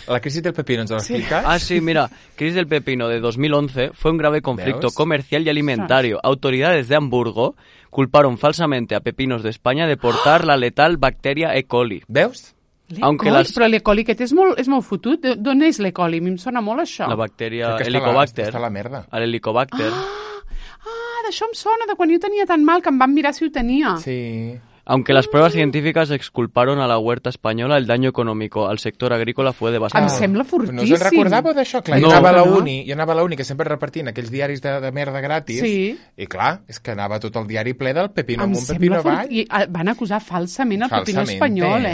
La crisis del pepino, ¿nos lo explicas? Ah, sí, mira, crisis del pepino de 2011 fue un grave conflicto comercial y alimentario. Autoridades de Hamburgo culparon falsamente a Pepinos de España de portar la letal bacteria E. coli. Veus? Però l'E. coli aquest és molt fotut. D'on és l'E. coli? A mi em sona molt això. La bacteria Helicobacter. Està la merda. L'Helicobacter. D'això em sona, de quan jo tenia tan mal que em van mirar si ho tenia. Sí. Aunque las pruebas científicas exculparon a la huerta española, el daño económico al sector agrícola fue devastador. Em sembla fortíssim. No us en recordàveu d'això? Clar, jo anava a la uni, que sempre repartint aquells diaris de merda gratis, i clar, és que anava tot el diari ple del pepino amb un pepino avall. I van acusar falsament el pepino espanyol,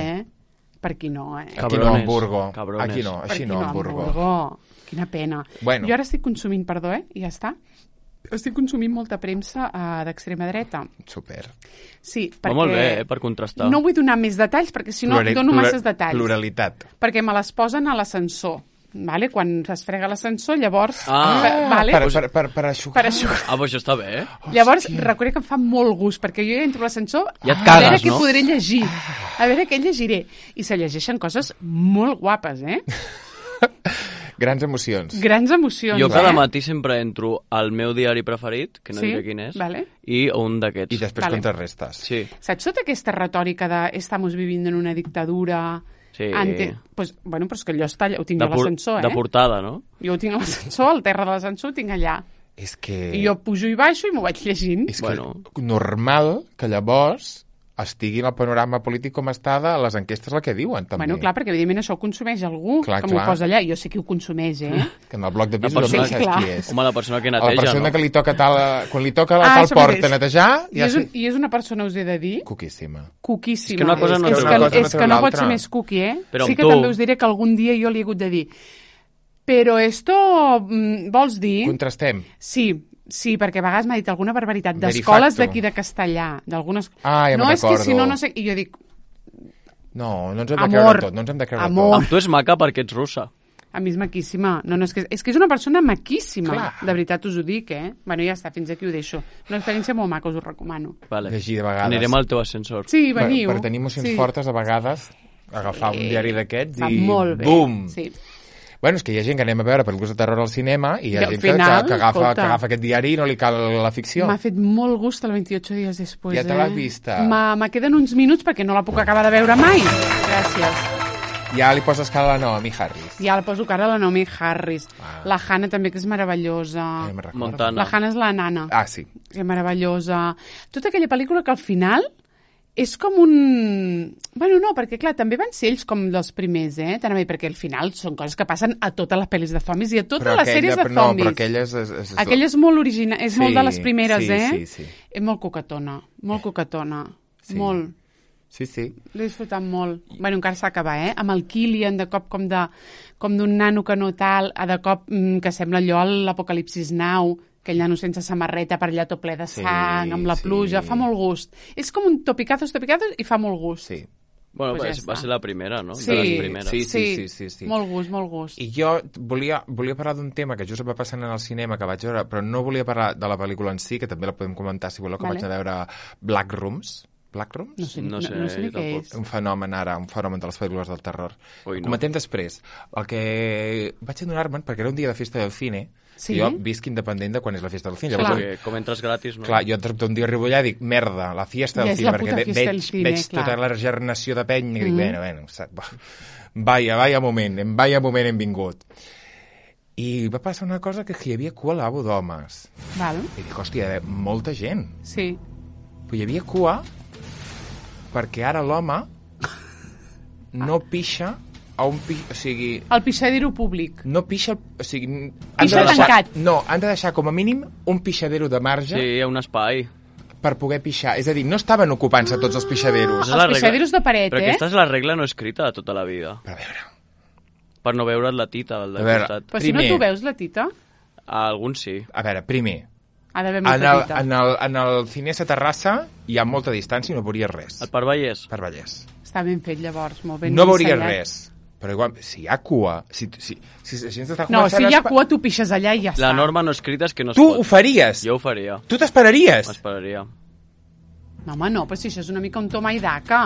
Per aquí no, Aquí no, Hamburgo. Aquí no, així no, Hamburgo. Quina pena. Bueno. Jo ara estic consumint, perdó, i ja està. Estic consumint molta premsa d'extrema dreta. Super. Sí, perquè... Va molt bé, per contrastar. No vull donar més detalls, perquè si no dono masses detalls. Pluralitat. Perquè me les posen a l'ascensor. Vale? Quan es frega l'ascensor, llavors... vale? Per aixugar. Per aixugar. Però això està bé. Llavors, reconec que em fa molt gust, perquè jo ja entro a l'ascensor ja et cagues, a veure què podré llegir. A veure què llegiré. I se llegeixen coses molt guapes, Grans emocions. Grans emocions, Jo cada matí sempre entro al meu diari preferit, que no diré quin és, i un d'aquests. I després contrarrestes. Sí. Saps tota aquesta retòrica de estamos viviendo en una dictadura... Sí. Pues, bueno, però és que allò ho tinc a l'ascensor, De portada, no? Jo ho tinc a l'ascensor, al terra de l'ascensor ho tinc allà. És que... I jo pujo i baixo i m'ho vaig llegint. És que normal que llavors estigui en el panorama polític com està a les enquestes el que diuen, també. Bueno, clar, perquè evidentment això ho consumeix algú que m'ho posa allà. Jo sé qui ho consumeix, Que en el bloc de pisos no saps qui és. Home, la persona que neteja, la persona que li toca quan li toca tal porta netejar... I és una persona, us he de dir... Cuquíssima. És que una cosa no és que no pot ser més cookie, Sí que també us diré que algun dia jo li he hagut de dir però esto, vols dir... Contrastem. Sí, perquè a vegades m'ha dit alguna barbaritat d'escoles d'aquí de Castellà, d'algunes... ja no, és que si no sé... I jo dic... No ens hem de creure tot, no ens hem de creure tot. Amb tu és maca perquè ets russa. A mi és maquíssima. No, és que és una persona maquíssima. Clar. De veritat us ho dic, Bueno, ja està, fins aquí ho deixo. Una experiència molt maca, us ho recomano. Vale. Llegir de vegades. Anirem al teu ascensor. Sí, veniu. Per tenir emocions fortes, a vegades, agafar un diari d'aquests i... molt bé. Bum! Sí. Bueno, és que hi ha gent que anem a veure pel·lícules de terror al cinema i hi ha gent que agafa aquest diari i no li cal la ficció. M'ha fet molt gust el 28 dies després. Ja te l'has vista? Me queden uns minuts perquè no la puc acabar de veure mai. Gràcies. Ja li poses cara a la Naomi Harris. Ja li poso cara a la Naomi Harris. La Hannah també, que és meravellosa. Montana. La Hannah és la nana. Sí. Que és meravellosa. Tota aquella pel·lícula que al final... És com un... Bueno, no, perquè clar, també van ser ells com dels primers, perquè al final són coses que passen a totes les pel·lis de zombies i a totes les sèries de zombies. No, però aquella és... Aquella és molt original, és molt de les primeres, sí. És molt coquetona, molt coquetona, molt. Sí. L'he disfrutat molt. Bueno, encara s'ha d'acabar, amb el Killian, de cop com d'un nano que no tal, de cop que sembla allò l'Apocalipsis Now, aquell nano sense samarreta per allà tot ple de sang, amb la pluja, fa molt gust. És com un topicazos i fa molt gust. Sí. Bueno, pues va ser la primera, no? Sí. De les primeres. Sí. Molt gust. I jo volia parlar d'un tema que just va passant en el cinema, que vaig veure, però no volia parlar de la pel·lícula en si, que també la podem comentar, si voleu, que vaig a veure Black Rooms. Black Rooms? No sé ni què és. Un fenomen de les pel·lícules del terror. Comentem després. El que vaig adonar-me'n, perquè era un dia de festa del cine, jo visc independent de quan és la festa del cine. Llavors, com entres gratis, no? Clar, jo un dia arribo allà i dic, merda, la fiesta del cine, perquè veig tota la regeneració de peny i dic, bueno, vaya moment hem vingut. I va passar una cosa que hi havia cua al lavabo d'homes. I dic, hòstia, hi havia molta gent. Sí. Però hi havia cua perquè ara l'home no pixa a un o sigui... El pixadero públic. No pixa... O sigui... Pixa tancat. No, han de deixar com a mínim un pixadero de marge... Sí, un espai. Per poder pixar. És a dir, no estaven ocupant-se tots els pixaderos. Els pixaderos de paret, Però aquesta és la regla no escrita de tota la vida. Però a veure... Per no veure't la tita del costat. Però si no tu veus la tita? Alguns sí. A veure, primer... Ha d'haver molta tita. En el Cinesa Terrassa hi ha molta distància i no veuries res. El per Vallès? Per Vallès. Està ben fet, llavors, molt ben no veuries res. Però igual, si hi ha cua... Si hi ha cua, tu pixes allà i ja està. La norma no escrita és que no es pot. Tu ho faries? Jo ho faria. Tu t'esperaries? M'esperaria. No, home, no, però si això és una mica un toma i daca.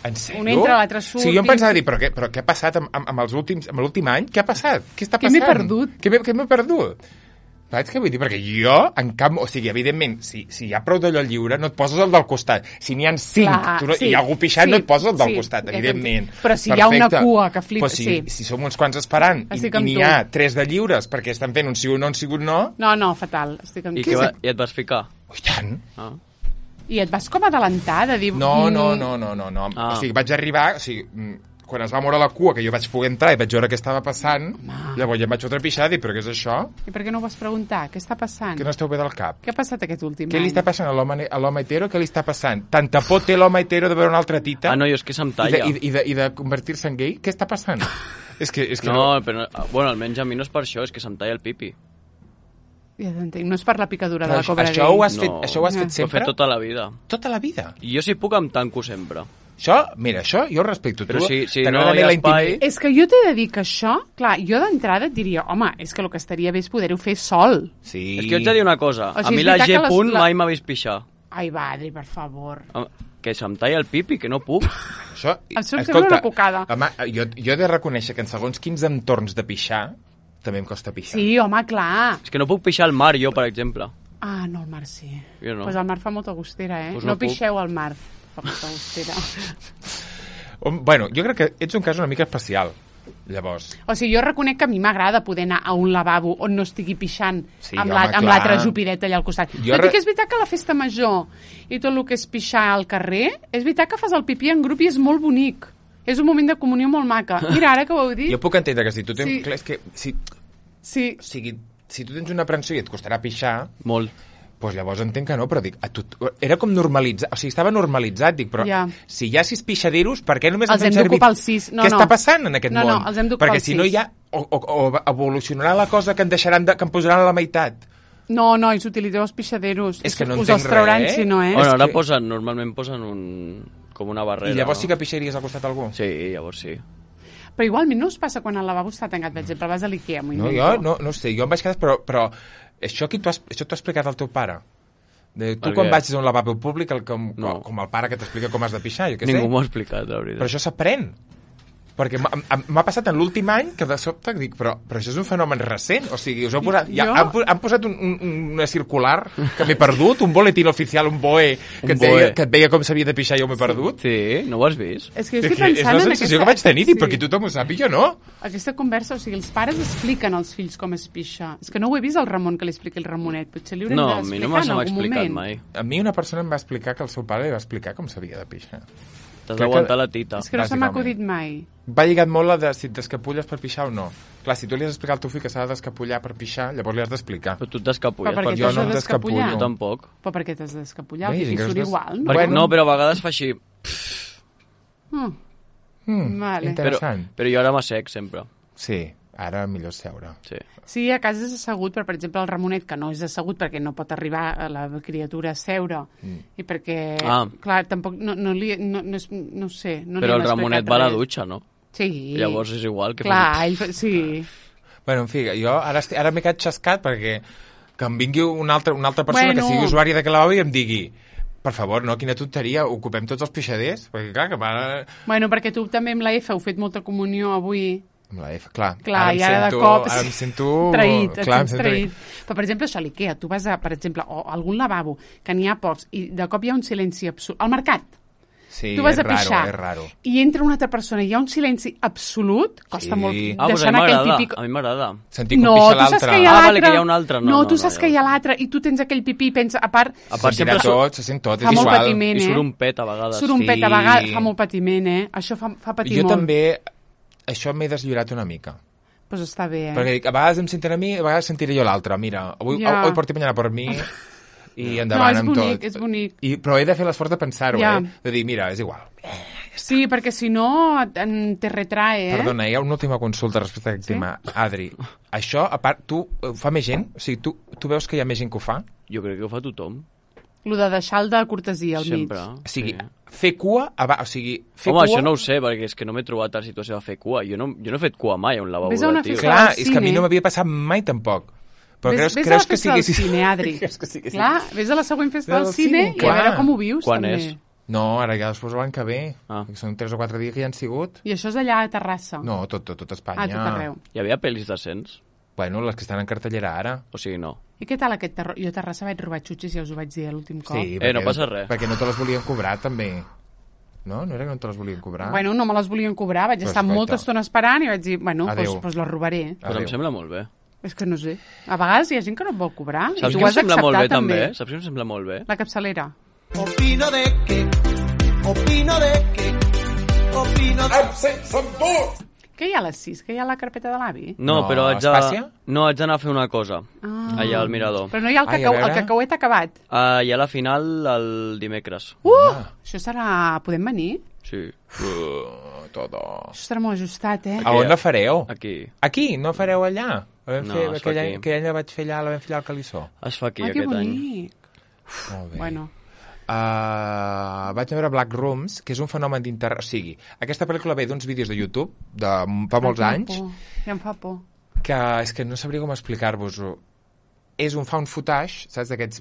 En sèrio? Un entra, l'altre surt... Sí, jo em pensava dir, però què ha passat amb l'últim any? Què ha passat? Què està passant? Què m'he perdut? Què m'he perdut? Saps què vull dir? Perquè jo, o sigui, evidentment, si hi ha prou d'allò lliure, no et poses el del costat. Si n'hi ha 5 i hi ha algú pixant, no et poses el del costat, evidentment. Però si hi ha una cua que flipa... Si som uns quants esperant i n'hi ha 3 de lliures perquè estan fent un sí o no, un sí o no... No, fatal. Estic amb I et vas ficar? I tant. I et vas com adelantar de dir... No. O sigui, vaig arribar... O sigui, quan es va moure la cua, que jo vaig poder entrar i vaig veure què estava passant, llavors ja em vaig fotre pixar i dir, però què és això? I per què no ho vas preguntar? Què està passant? Que no esteu bé del cap. Què ha passat aquest últim any? Què li està passant a l'home hetero? Què li està passant? Tanta por té l'home hetero de veure una altra tita? No, és que se'm talla. I de convertir-se en gay? Què està passant? és que no, però, bueno, almenys a mi no és per això, és que se'm talla el pipi. Ja t'entenc, no és per la picadura de la cobra gay. Això ho has fet sempre? Ho he fet tota la vida. Tota la vida? I jo si puc em tanco sempre. Això jo ho respecto. Però si no hi ha espai... És que jo t'he de dir que això, clar, jo d'entrada et diria, home, és que el que estaria bé és poder-ho fer sol. Sí. És que jo ets a dir una cosa, a mi la G. mai m'ha vist pixar. Ai, va, Adri, per favor. Que se'm talla el pipi, que no puc. Em surt una cucada. Home, jo he de reconèixer que en segons quins entorns de pixar també em costa pixar. Sí, home, clar. És que no puc pixar al mar, jo, per exemple. Ah, no, al mar sí. Jo no. Pues al mar fa molta gustera, Pues no pixeu al mar. Bueno, jo crec que ets un cas una mica especial, llavors. O sigui, jo reconec que a mi m'agrada poder anar a un lavabo on no estigui pixant amb l'altra jupideta allà al costat. Tot i que és veritat que la festa major i tot el que és pixar al carrer, és veritat que fas el pipí en grup i és molt bonic. És un moment de comunió molt maca. Mira, ara que ho heu dit... Jo puc entendre que si tu tens... Clar, és que si tu tens una aprensió i et costarà pixar... Molt. Doncs llavors entenc que no, però dic, era com normalitzat, o sigui, estava normalitzat, dic, però si hi ha 6 pixaderos, per què només els hem d'ocupar els 6? Què està passant en aquest món? No, els hem d'ocupar els 6. Perquè si no hi ha, o evolucionarà la cosa que que em posaran a la meitat. No, nois, utilitzeu els pixaderos. És que no us els trauran, si no, Bueno, ara normalment posen com una barrera. I llavors sí que pixaries al costat algú? Sí, llavors sí. Però igualment no us passa quan el lavabo està tancat, per exemple, vas a l'Ikea, No, jo no sé, jo em vaig quedar, però això t'ho ha explicat el teu pare? Tu quan vagis a un lavabo públic, com el pare que t'explica com has de pixar, jo què sé. Ningú m'ho ha explicat, la veritat. Però això s'aprèn. Perquè m'ha passat en l'últim any que de sobte dic, però això és un fenomen recent, o sigui, us heu posat, han posat una circular que m'he perdut, un boletín oficial, un BOE, que et deia com s'havia de pixar i jo m'he perdut. Sí, no ho has vist? És que jo estic pensant és la sensació que vaig tenir, perquè tothom ho sàpiga, jo no. Aquesta conversa, o sigui, els pares expliquen als fills com es pixa. És que no ho he vist al Ramon que li expliqui el Ramonet, potser li haurem d'explicar en algun moment. Mai. A mi una persona em va explicar que el seu pare li va explicar com s'havia de pixar. T'has d'aguantar la tita. És que no se m'ha acudit mai. Va lligat molt la de si t'escapulles per pixar o no. Clar, si tu li has d'explicar al teu fill que s'ha d'escapullar per pixar, llavors li has d'explicar. Però tu t'escapulles. Però jo no em descapullo. Jo tampoc. Però per què t'has d'escapullar? El pipí surt igual, no? No, però a vegades fa així... Vale. Interessant. Però jo ara m'assec sempre. Sí, ara millor seure. Sí, a casa és assegut, però per exemple el Ramonet, que no és assegut perquè no pot arribar a la criatura a seure, i perquè, clar, tampoc, no sé... No però el Ramonet va a la dutxa, no? Sí. Llavors és igual que... Clar, sí. Bueno, en fi, jo ara m'he quedat xascat perquè que em vingui una altra persona que sigui usuària de lavabo i em digui per favor, no, quina tonteria, ocupem tots els pixaders, perquè clar, que va... Bueno, perquè tu també amb la F heu fet molta comunió avui. Amb la F, clar. Ara de cop... Ara em sento... Traït, et sents traït. Però, per exemple, això a l'Ikea, tu vas a, per exemple, a algun lavabo, que n'hi ha pocs, i de cop hi ha un silenci absolut. Al mercat. Sí, tu vas a pixar, és raro. I entra una altra persona, hi ha un silenci absolut, costa molt deixar anar aquell pipí... A mi m'agrada. Sentir com pixa l'altre. Vale, que hi ha un altre. No, tu saps que hi ha l'altre i tu tens aquell pipí i pensa, a part sempre se sent tot, és igual. I surt un pet a vegades. Surt un pet a vegades, fa molt patiment, Això fa patir molt. Jo també, això m'he deslliurat una mica. Pues està bé, Perquè a vegades em sentiré a mi, a vegades sentiré jo l'altre. Mira, hoy por ti, mañana por mi... I endavant amb tot. És bonic. Però he de fer l'esforç de pensar-ho, de dir, mira, és igual. Sí, perquè si no te retrae, Perdona, hi ha una última consulta respecte a aquest tema. Adri, això, a part, tu fa més gent? O sigui, tu veus que hi ha més gent que ho fa? Jo crec que ho fa tothom. Lo de deixar el de cortesia al mig. Sempre. O sigui, fer cua... Això no ho sé, perquè és que no m'he trobat a la situació de fer cua. Jo no he fet cua mai a un lavabo de tio. Clar, és que a mi no m'havia passat mai tampoc. Però creus que sigui... Vés a la festa del cine, Adri. Clar, vés a la següent festa del cine i a veure com ho vius, Quan també. És? No, ara ja després l'any que ve. Són 3 o 4 dies que ja han sigut. I això és allà a Terrassa? No, tot Espanya. Tot arreu. Hi havia pel·lis decents? Bueno, les que estan en cartellera ara. O sigui, no. I què tal aquest terror? Jo a Terrassa vaig robar xutxes, ja us ho vaig dir l'últim cop. Sí, no passa res. Perquè no te les volien cobrar, també. No? No era que no te les volien cobrar? Bueno, no me les volien cobrar. Vaig estar molta estona esperant i vaig dir, bueno, doncs les robaré. Però em sembla molt bé. És que no sé. A vegades hi ha gent que no et vol cobrar. Saps que em sembla molt bé, també? Saps que em sembla molt bé? La capçalera. Opino de que... Absent som tots! Què hi ha a les 6? Què hi ha a la carpeta de l'avi? No, però haig d'anar a fer una cosa. Allà al mirador. Però no hi ha el cacauet acabat? Hi ha la final el dimecres. Això serà... Podem venir? Sí. Todo. Això serà molt ajustat, A on la fareu? Aquí. Aquí? No fareu allà? No, es fa aquí. Aquell any la vaig fer allà, la vam fer allà al Calissó. Es fa aquí aquest any. Molt bé. Bueno. Vaig veure Black Rooms, que és un fenomen d'internet. O sigui, aquesta pel·lícula ve d'uns vídeos de YouTube de fa molts anys. Ja em fa por. Que és que no sabria com explicar-vos-ho. És un found footage, saps, d'aquests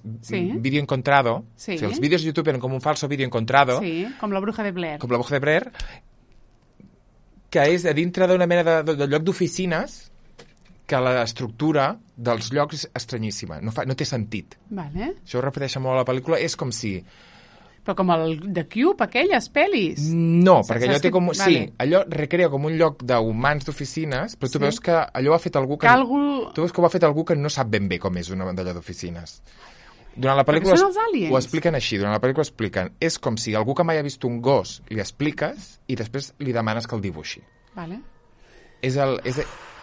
vídeo encontrado. Sí. O sigui, els vídeos de YouTube eren com un falso vídeo encontrado. Sí, com la bruja de Blair. Com la bruja de Blair, que és a dintre d'una mena de lloc d'oficines que l'estructura dels llocs és estranyíssima, no té sentit. Vale. Això ho repeteixen molt a la pel·lícula, és com si... Però com el de Cube, aquelles pel·lis? No, perquè allò té com... Vale. Sí, allò recrea com un lloc d'humans d'oficines, però tu veus que allò ho ha fet algú que... Tu veus que ho ha fet algú que no sap ben bé com és una d'allò d'oficines. Durant la pel·lícula ho expliquen així, durant la pel·lícula expliquen, és com si algú que mai ha vist un gos li expliques i després li demanes que el dibuixi. Vale.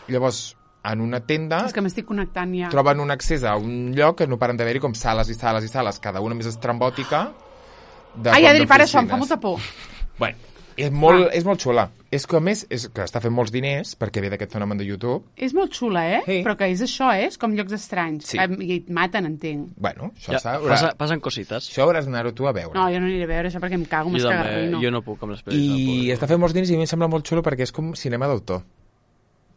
Llavors, en una tenda... És que m'estic connectant ja. Troben un accés a un lloc que no paren d'haver-hi com sales i sales i sales, cada una més estrambòtica. Ai, Adri, para això, em fa molta por. Bueno, és molt xula. És que, a més, que està fent molts diners, perquè ve d'aquest fenomen de YouTube. És molt xula, Sí. Però que és això, és com llocs estranys. Sí. I et maten, entenc. Bueno, això passen cosites. Això hauràs d'anar-ho tu a veure. No, jo no aniré a veure això perquè em cago, m'escagarrino. Jo no puc amb les pel·lis. I està fent molts diners i a mi em sembla molt xulo perquè és com cinema d'autor.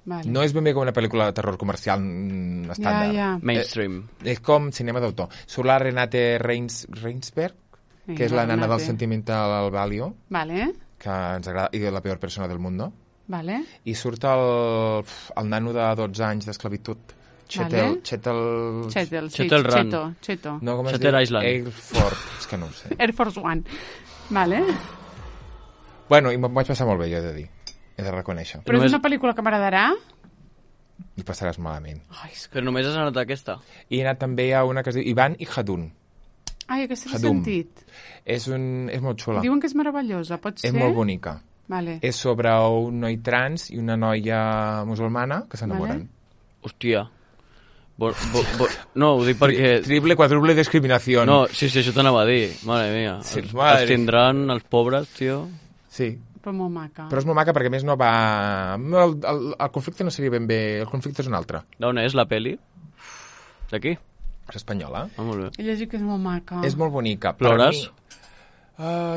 Vale. No és ben bé com una pel·lícula de terror comercial estàndard. Ja. Mainstream. És com cinema d'autor. Surt la Renate Reinsberg, que és la nana del Sentimental Value, vale. que ens agrada, i la peor persona del món, vale. I surt el nano de 12 anys d'esclavitud, Chetel No, com es diu? Island. Air Force, és que no ho sé. Air Force One. Vale. Bueno, i m'ho vaig passar molt bé, jo he de dir. He de reconèixer. Però és una pel·lícula que m'agradarà? I passaràs malament. Però només has anat a aquesta? I he anat també a una que es diu Ivan i Hadun. Ai, aquesta l'he sentit. És molt xula. Diuen que és meravellosa, pot ser? És molt bonica. Vale. És sobre un noi trans i una noia musulmana que s'enamoren. Vale. Hòstia. No, ho dic perquè... Triple, quadruple discriminació. No, sí, això t'anava a dir. Mare mia. Sí, els tindran els pobres, tio. Sí, Però molt maca. Però és molt maca perquè, a més, no va... El conflicte no seria ben bé... El conflicte és un altre. D'on és la peli? D'aquí? És espanyola. Molt bé. He llegit que és molt maca. És molt bonica. Plores?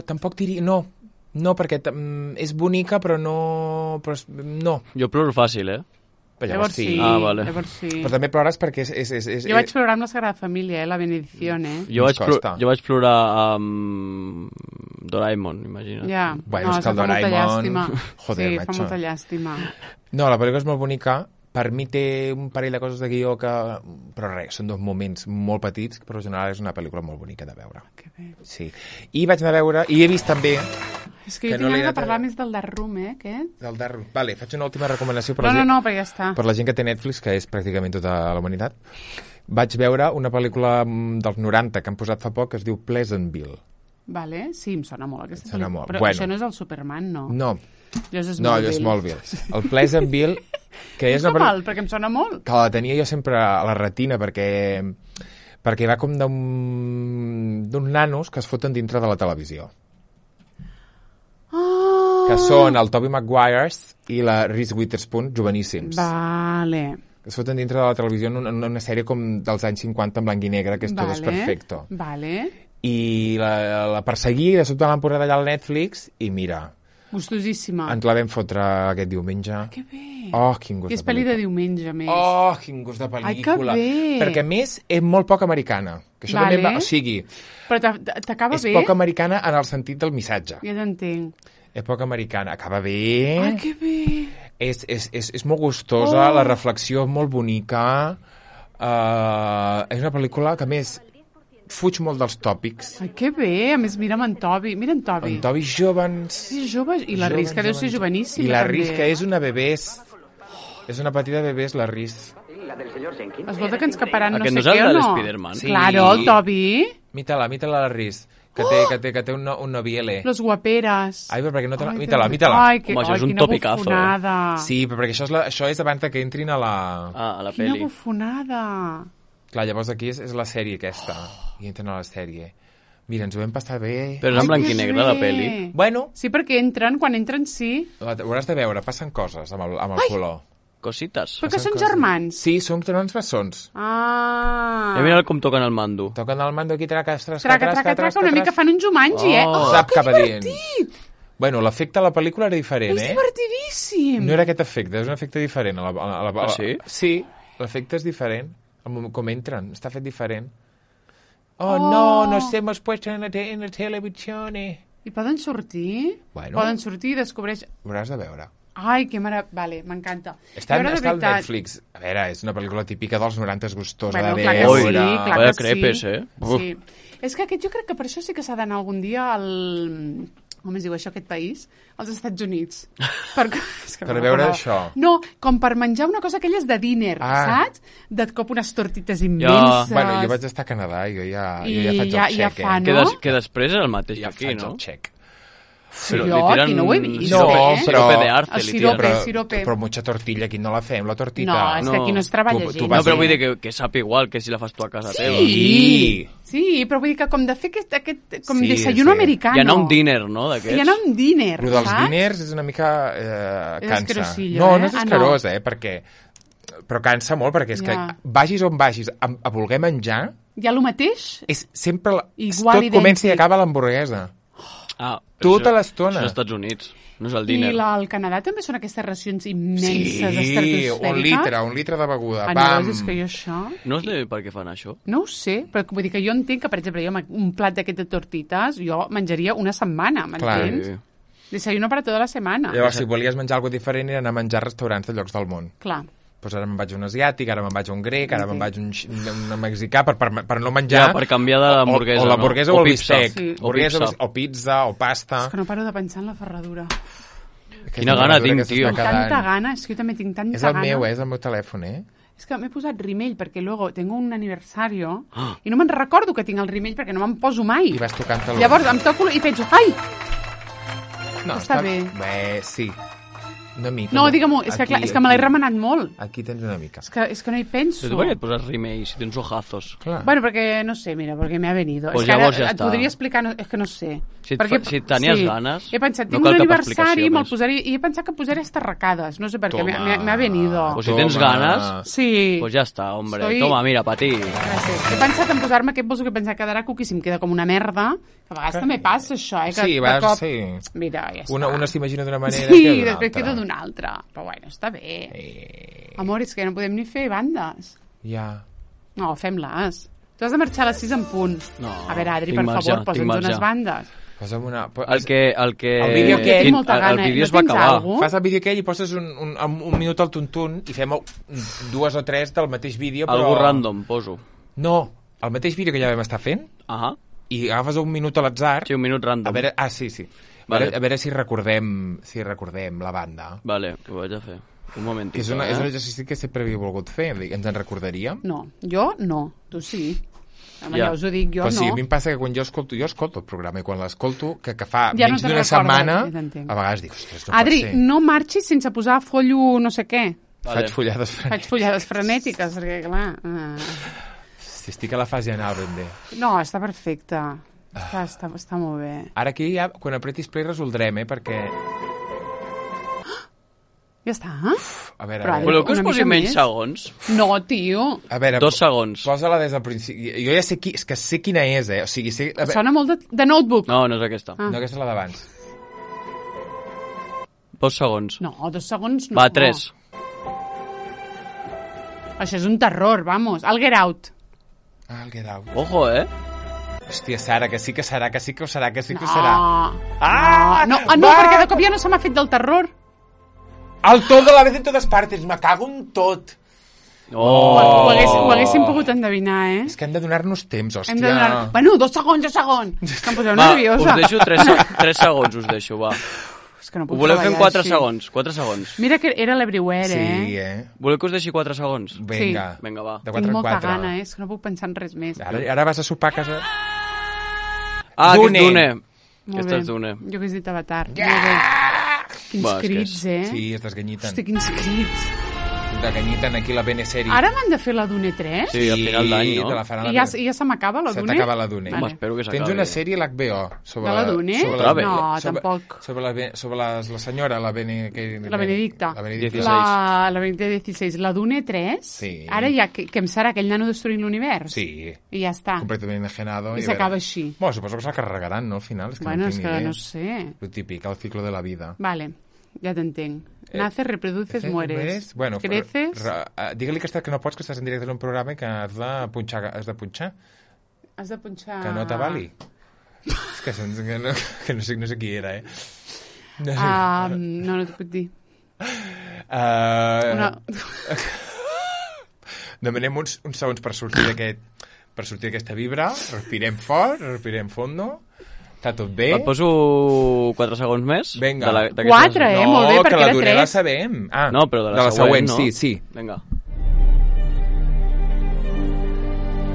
Tampoc diria... No, perquè és bonica, però no... No. Jo ploro fàcil, Llavors sí. Vale. Llavors sí. Però també plores perquè és... Jo vaig plorar amb la Sagrada Família, la Benedizione. Jo vaig plorar amb Doraemon, imagina't. Ja, bueno, és que el Doraemon... Joder, sí, fa molta llàstima. No, la pel·lícula és molt bonica. Per mi té un parell de coses de guió que... Però res, són 2 moments molt petits, però en general és una pel·lícula molt bonica de veure. Que bé. Sí. I vaig anar a veure... I he vist també... És que jo tinc ganes de parlar més del Dark Room, aquest? Del Dark Room. Vale, faig una última recomanació per No, però ja està. Per la gent que té Netflix, que és pràcticament tota la humanitat. Vaig veure una pel·lícula dels 90 que han posat fa poc, que es diu Pleasantville. Vale, sí, em sona molt aquesta pel·lícula. Molt. Però això no és el Superman, no? No. Allò és Smallville. El Pleasantville, que és una pel·lícula... perquè em sona molt. Que la tenia jo sempre a la retina, perquè va com d'uns nanos que es foten dintre de la televisió. Que són el Tobey Maguire i la Reese Witherspoon, joveníssims. Vale. Que es foten dintre de la televisió en una sèrie com dels anys 50 en blanc i negre, que és Todo es perfecto. Vale. I la perseguí, de sobte l'han posat allà al Netflix, i mira... Gustosíssima. Ens la vam fotre aquest diumenge. Que bé. Oh, quin gust de pel·lícula. És pel·li de diumenge, més. Oh, quin gust de pel·lícula. Ai, que bé. Perquè, a més, és molt poc americana. Que això també o sigui... Però t'acaba bé? És poc americana en el sentit del missatge. Ja t'entenc. És poc americana. Acaba bé. Ai, que bé. És molt gustosa, la reflexió és molt bonica. És una pel·lícula que, a més, fuig molt dels tòpics. Ai, que bé. A més, mira'm en Toby. Mira en Toby. En Toby jove. Sí, jove. I la Riz, que deu ser joveníssima. I la Riz, que és una bebès. És una petita bebès, la Riz. Escolta, que ens caparan no sé què o no. Aquest no és el de l'Spiderman? Sí. Claro, el Toby. Mítala la Riz. Que té un noviele. Los guaperas. Ai, però perquè no te... Mítala. Ai, home, això és un topicazo. Sí, però perquè això és abans que entrin a la... a la peli. Quina bufonada. Clar, llavors aquí és la sèrie aquesta. I entren a la sèrie. Mira, ens ho vam passar bé. Però és en blanc i negre, la peli. Bueno. Sí, perquè quan entren, sí. Ho hauràs de veure, passen coses amb el color. Cosites. Però que són germans. Sí, són germans bessons. Ah. Ja mira com toquen el mando. Toquen el mando aquí, traca, una mica fan un Jumanji, Sap que cap divertit! Bueno, l'efecte a la pel·lícula era diferent, És divertidíssim! No era aquest efecte, és un efecte diferent. Sí? Sí, l'efecte és diferent. Com entren, està fet diferent. No, nos hemos puesto en la televisione. I poden sortir? Bueno. Poden sortir i descobreix... Ho hauràs de veure. Ai, que vale, m'encanta. Està al Netflix. A veure, és una pel·lícula típica dels 90 gustosa de veure. Clar que sí. Crepes, Sí. És que jo crec que per això sí que s'ha d'anar algun dia al... Com es diu això, aquest país? Als Estats Units. Per veure això? No, com per menjar una cosa aquelles de dinner, saps? De cop unes tortites immenses. Bueno, jo vaig estar a Canadà i jo ja faig el xec. No? Que després és el mateix ja aquí, no? Ja faig el xec. Sí, jo aquí no ho he vist. Sirope de arte, li tiren. Sirope. Però mucha tortilla, aquí no la fem, la tortita. No, és que aquí no es treballa gent. No, però vull dir que sap igual que si la fas tu a casa teva. Sí, però vull dir que com de fer aquest desayuno americano. Hi ha un dinner, no, d'aquests? Hi ha un dinner, saps? Però dels diners és una mica cansa. No és escarós, perquè... Però cansa molt, perquè és que vagis on vagis a voler menjar... Hi ha el mateix? És sempre... Tot comença i acaba l'hamburguesa. Tota l'estona. Això als Estats Units, no és el dinner. I al Canadà també són aquestes racions immenses, estratosfèriques? Sí, un litre de beguda. No, és que jo això... No sé per què fan això. No ho sé, però vull dir que jo entenc que, per exemple, jo un plat d'aquest de tortites, jo menjaria una setmana, m'entens? Desayuno para tota la setmana. Llavors, si volies menjar alguna diferent, era anar a menjar a restaurants de llocs del món. Clar. Doncs ara me'n vaig a un asiàtic, ara me'n vaig a un grec, ara me'n vaig a un mexicà per no menjar... Ja, per canviar de l'hamburguesa, o l'hamburguesa o el bistec. Sí. O pizza, o pasta... És que no paro de pensar en la ferradura. Quina gana tinc, tio. Tanta gana, és que jo també tinc tanta gana. És el meu telèfon, És que m'he posat rimell, perquè luego tengo un aniversario i no me'n recordo que tinc el rimell perquè no me'n poso mai. I vas tocant-te-lo. Llavors em toco i penso, ai! No, està bé. Bé, sí. Una mica. No, digue-m'ho, és que me l'he remenat molt. Aquí tens una mica. És que no hi penso. Però tu per què et poses rimei si tens ojazos? Clar. Bueno, perquè, no sé, mira, perquè me ha venido. Pues és que ara ja et podria explicar, és que no sé. Si tenies ganes, he pensat, tinc un aniversari, me'l posaré, i he pensat que posaré estarracades, no sé per què, me ha venido. Pues si tens ganes, pues ja està, hombre. Toma, mira, pa ti. He pensat en posar-me aquest bolso que he pensat quedarà cuqui si em queda com una merda, que a vegades també passa això, que sí. Mira, ja està. Una s'imagina d'una manera i després queda d'una altra. Però bueno, està bé. Amor, és que no podem ni fer bandes. Ja. No, fem-les. Tu has de marxar a les 6 en punt. No, a veure, Adri, per favor, posa'ns unes bandes. Posa'm una... El vídeo es va acabar. Fas el vídeo aquell i poses un minut al tuntun i fem 2 o 3 del mateix vídeo, però... Algú random, poso. No, el mateix vídeo que ja vam estar fent, i agafes un minut a l'atzar... Sí, un minut random. A veure, sí. Vale. A veure si recordem la banda. Vale, ho vaig a fer. Un moment. És un exercici que sempre havia volgut fer. Ens en recordaríem? No, jo no. Tu sí. Ja us ho dic, jo però no. Sí, a mi em passa que quan jo escolto el programa i quan l'escolto, que fa menys d'una setmana, a vegades dic, ostres, no Adri, pot ser. No marxis sense posar follo no sé què. Vale. Faig follades frenètiques, perquè clar... Si estic a la fase anal ben bé. No, està perfecte. Està molt bé. Ara aquí ja, quan apretis play resoldrem, perquè... Ja està? A veure. Voleu que us posi menys segons? No, tio. A veure, 2 segons. Posa-la des del principi. Jo ja sé quina és, O sigui, Sona molt de Notebook. No, no és aquesta. No, aquesta és la d'abans. 2 segons. No, 2 segons no. Va, 3. Això és un terror, vamos. El Get Out. El Get Out. Ojo, Hòstia, Sara, que sí que serà. No, perquè de cop ja no se m'ha fet del terror. El tot de la vez en totes partes, me cago en tot. Ho haguéssim pogut endevinar, És que hem de donar-nos temps, hòstia. Bueno, 2 segons. Que em poseu nerviosa. Us deixo 3 segons, us deixo, va. És que no puc ho voleu fer en 4 segons? 4 segons. Mira que era l'Everywhere, Sí, Voleu que us deixi 4 segons? Vinga. Sí. Vinga, va. De 4 Tinc molta gana, és que no puc pensar en res més. Ara vas a sopar a casa... Dune. Aquesta és Dune. Jo que he dit Avatar. Quins crits, Sí, es desganyiten. Hosti, quins crits. Desganyiten aquí la Bene-sèrie. Ara m'han de fer la Dune 3? Sí, al final d'any, no? I ja se m'acaba la Dune? Se t'acaba la Dune. Vale. Espero que s'acabi. Tens una sèrie a l'HBO. De la Dune? Tampoc. Sobre la senyora, la Benedicta. La Benedicta. La Benedicta XVI. La Dune 3? Sí. Ara ja, que em serà aquell nano destruint l'univers? Sí. I ja està. Completament enajenado. I s'acaba així. Bueno, suposo que se'l carregaran, no, al final. Bueno, és que no sé. Lo típic, el ciclo de la vida. Vale. Ja t'entenc. Naces, reproduces, mueres. Bueno, creces... Digue-li que no pots, que estàs en directe en un programa i que has de punxar. Has de punxar... Que no t'avali. És que no sé qui era, No t'ho puc dir. Demanem uns segons per sortir d'aquesta vibra. Respirem fort, respirem fondo. Està tot bé. Et poso 4 segons més? Vinga. 4, molt bé, perquè era 3. No, que la Dune la sabem. No, però de la següent, no? Sí. Vinga.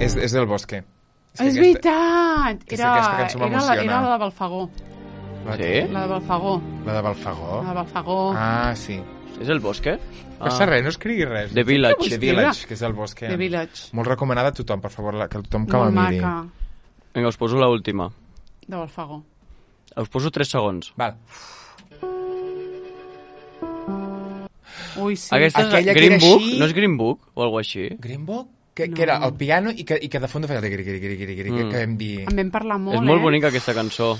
És del Bosque. És veritat! Era la de Balfagó. Sí? La de Balfagó. La de Balfagó? La de Balfagó. Sí. És el Bosque? Passa res, no escrigui res. The Village. The Village, que és el Bosque. The Village. Molt recomanada a tothom, per favor, que tothom que la miri. Molt maca. Vinga, us poso l'última. De Balfagó. Us poso 3 segons. Val. Ui, sí. Aquesta és Green Book? No és Green Book o alguna així? Green Book? Que era el piano i que de fons feia que vam dir... En vam parlar molt, És molt bonica aquesta cançó.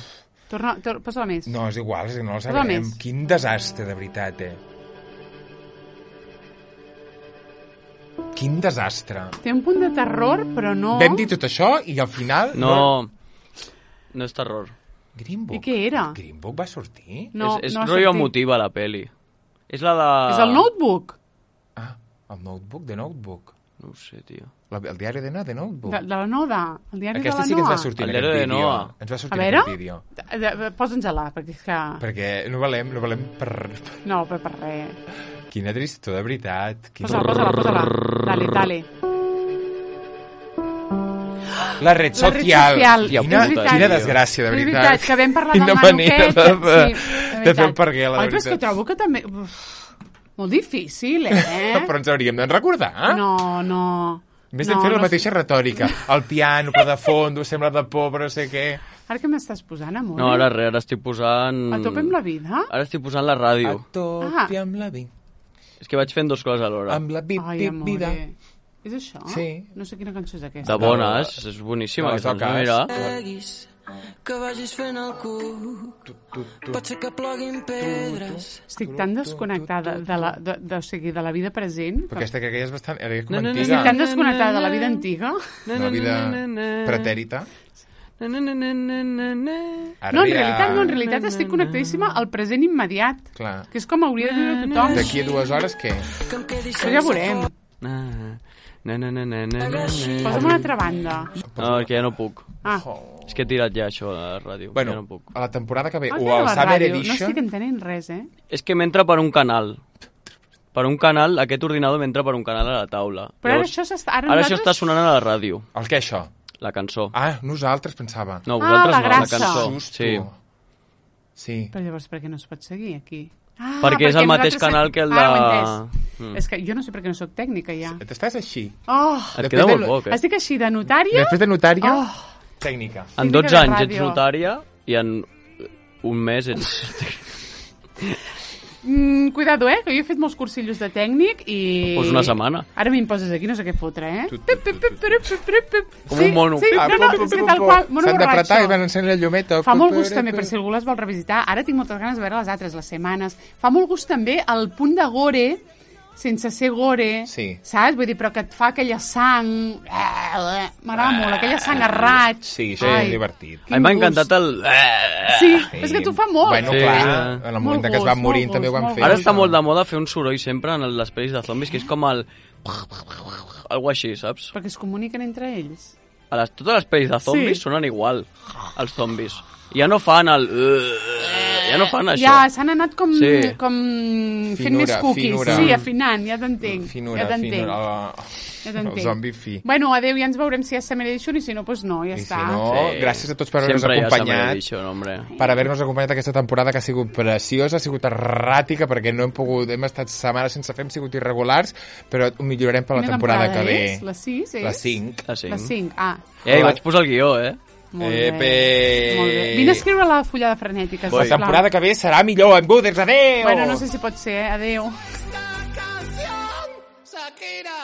Posa-la més. No, és igual, no la sabem. Quin desastre, de veritat, Quin desastre. Té un punt de terror, però no... Vam dir tot això i al final... No és terror. Green Book? I què era? Green Book va sortir? No, és rotllo emotiva, la peli. És la de... És el Notebook? El Notebook? The Notebook? No ho sé, tio. El diari de Noa, The Notebook? De la Noda. El diari Aquesta de la Noa. sí que ens va sortir en aquest vídeo. Ens va sortir en aquest vídeo. Posa'ns-la, perquè és que... Perquè no valem per... No, per res. Quina tristor, de veritat. Posa-la. Dale. La red social. Quina desgràcia, de veritat. És veritat, que vam parlar del nano aquest. veritat. De fer el perquè, la veritat. Però és que trobo que també... molt difícil, Però ens hauríem de recordar. No. Més de fer la mateixa retòrica. El piano, però de fons, sembla de por, però no sé què... Ara què m'estàs posant, amor? No, ara estic posant... A tope amb la vida? Ara estic posant la ràdio. A tope amb la vida. És que vaig fent dues coses alhora. Amb la vida. És això? Sí. No sé quina cançó és aquesta. De bones, és boníssima. No, mira. Que vagis fent el cul, pot ser que ploguin pedres. Estic tan desconnectada de la vida present. Però aquesta que és bastant... Era com antiga. Estic tan desconnectada de la vida antiga. La vida pretèrita. No, en realitat estic connectadíssima al present immediat. Clar. Que és com hauria de viure tothom. D'aquí a 2 hores, què? Però ja veurem. Posa'm una altra banda. No, perquè ja no puc. És que he tirat ja això a la ràdio. Bueno, ja no puc. a la temporada que ve, o al Summer Edition... No estic entenent res, És que m'entra per un canal. Per un canal, aquest ordinador m'entra per un canal a la taula. Però llavors, ara això està sonant a la ràdio. El què, això? La cançó. Nosaltres, pensava. No, vosaltres no, la cançó. Sí. Però llavors per què no es pot seguir aquí? Perquè és el mateix canal que el de... És que jo no sé per què no soc tècnica, ja. T'estàs així. Et queda molt poc, Estic així de notària. Després de notària, tècnica. En 12 anys ets notària i en un mes ets... Cuidado, que jo he fet molts cursillos de tècnic i... Pues una setmana. Ara m'im-poses aquí, no sé què fotre, Com un mono. Sí, no, és que tal qual, mono borratxo. S'han d'apretar i van encendre la llumeta. Fa molt gust també, per si algú les vol revisitar. Ara tinc moltes ganes de veure les altres, les setmanes. Fa molt gust també el punt de gore, sense ser gore, saps? Vull dir, però que et fa aquella sang... M'agrada molt, aquella sang a raig. Sí, això és divertit. A mi m'ha encantat el... Sí, és que tu fa molt. Bueno, clar, en el moment que es van morint també ho van fer. Ara està molt de moda fer un soroll sempre en les pel·lis de zombis, que és com el... Algo així, saps? Perquè es comuniquen entre ells. Totes les pel·lis de zombis sonen igual, els zombis. Ja no fan el... Ja no fan això. Ja, s'han anat com fent més cookies. Sí, afinant, ja t'entenc. Finura, el zombi fi. Bueno, adeu, ja ens veurem si hi ha Summer Edition i si no, doncs no, ja està. I si no, gràcies a tots per haver-nos acompanyat. Per haver-nos acompanyat aquesta temporada que ha sigut preciosa, ha sigut erràtica, perquè no hem estat setmanes sense fer, hem sigut irregulars, però ho millorarem per la temporada que ve. La 6 és? La 5. La 5, hi vaig posar el guió, Molt bé. Vine a escriure la fullada frenètica. La temporada que ve serà millor, en Buders, adeu! Bueno, no sé si pot ser, adeu. Shakira.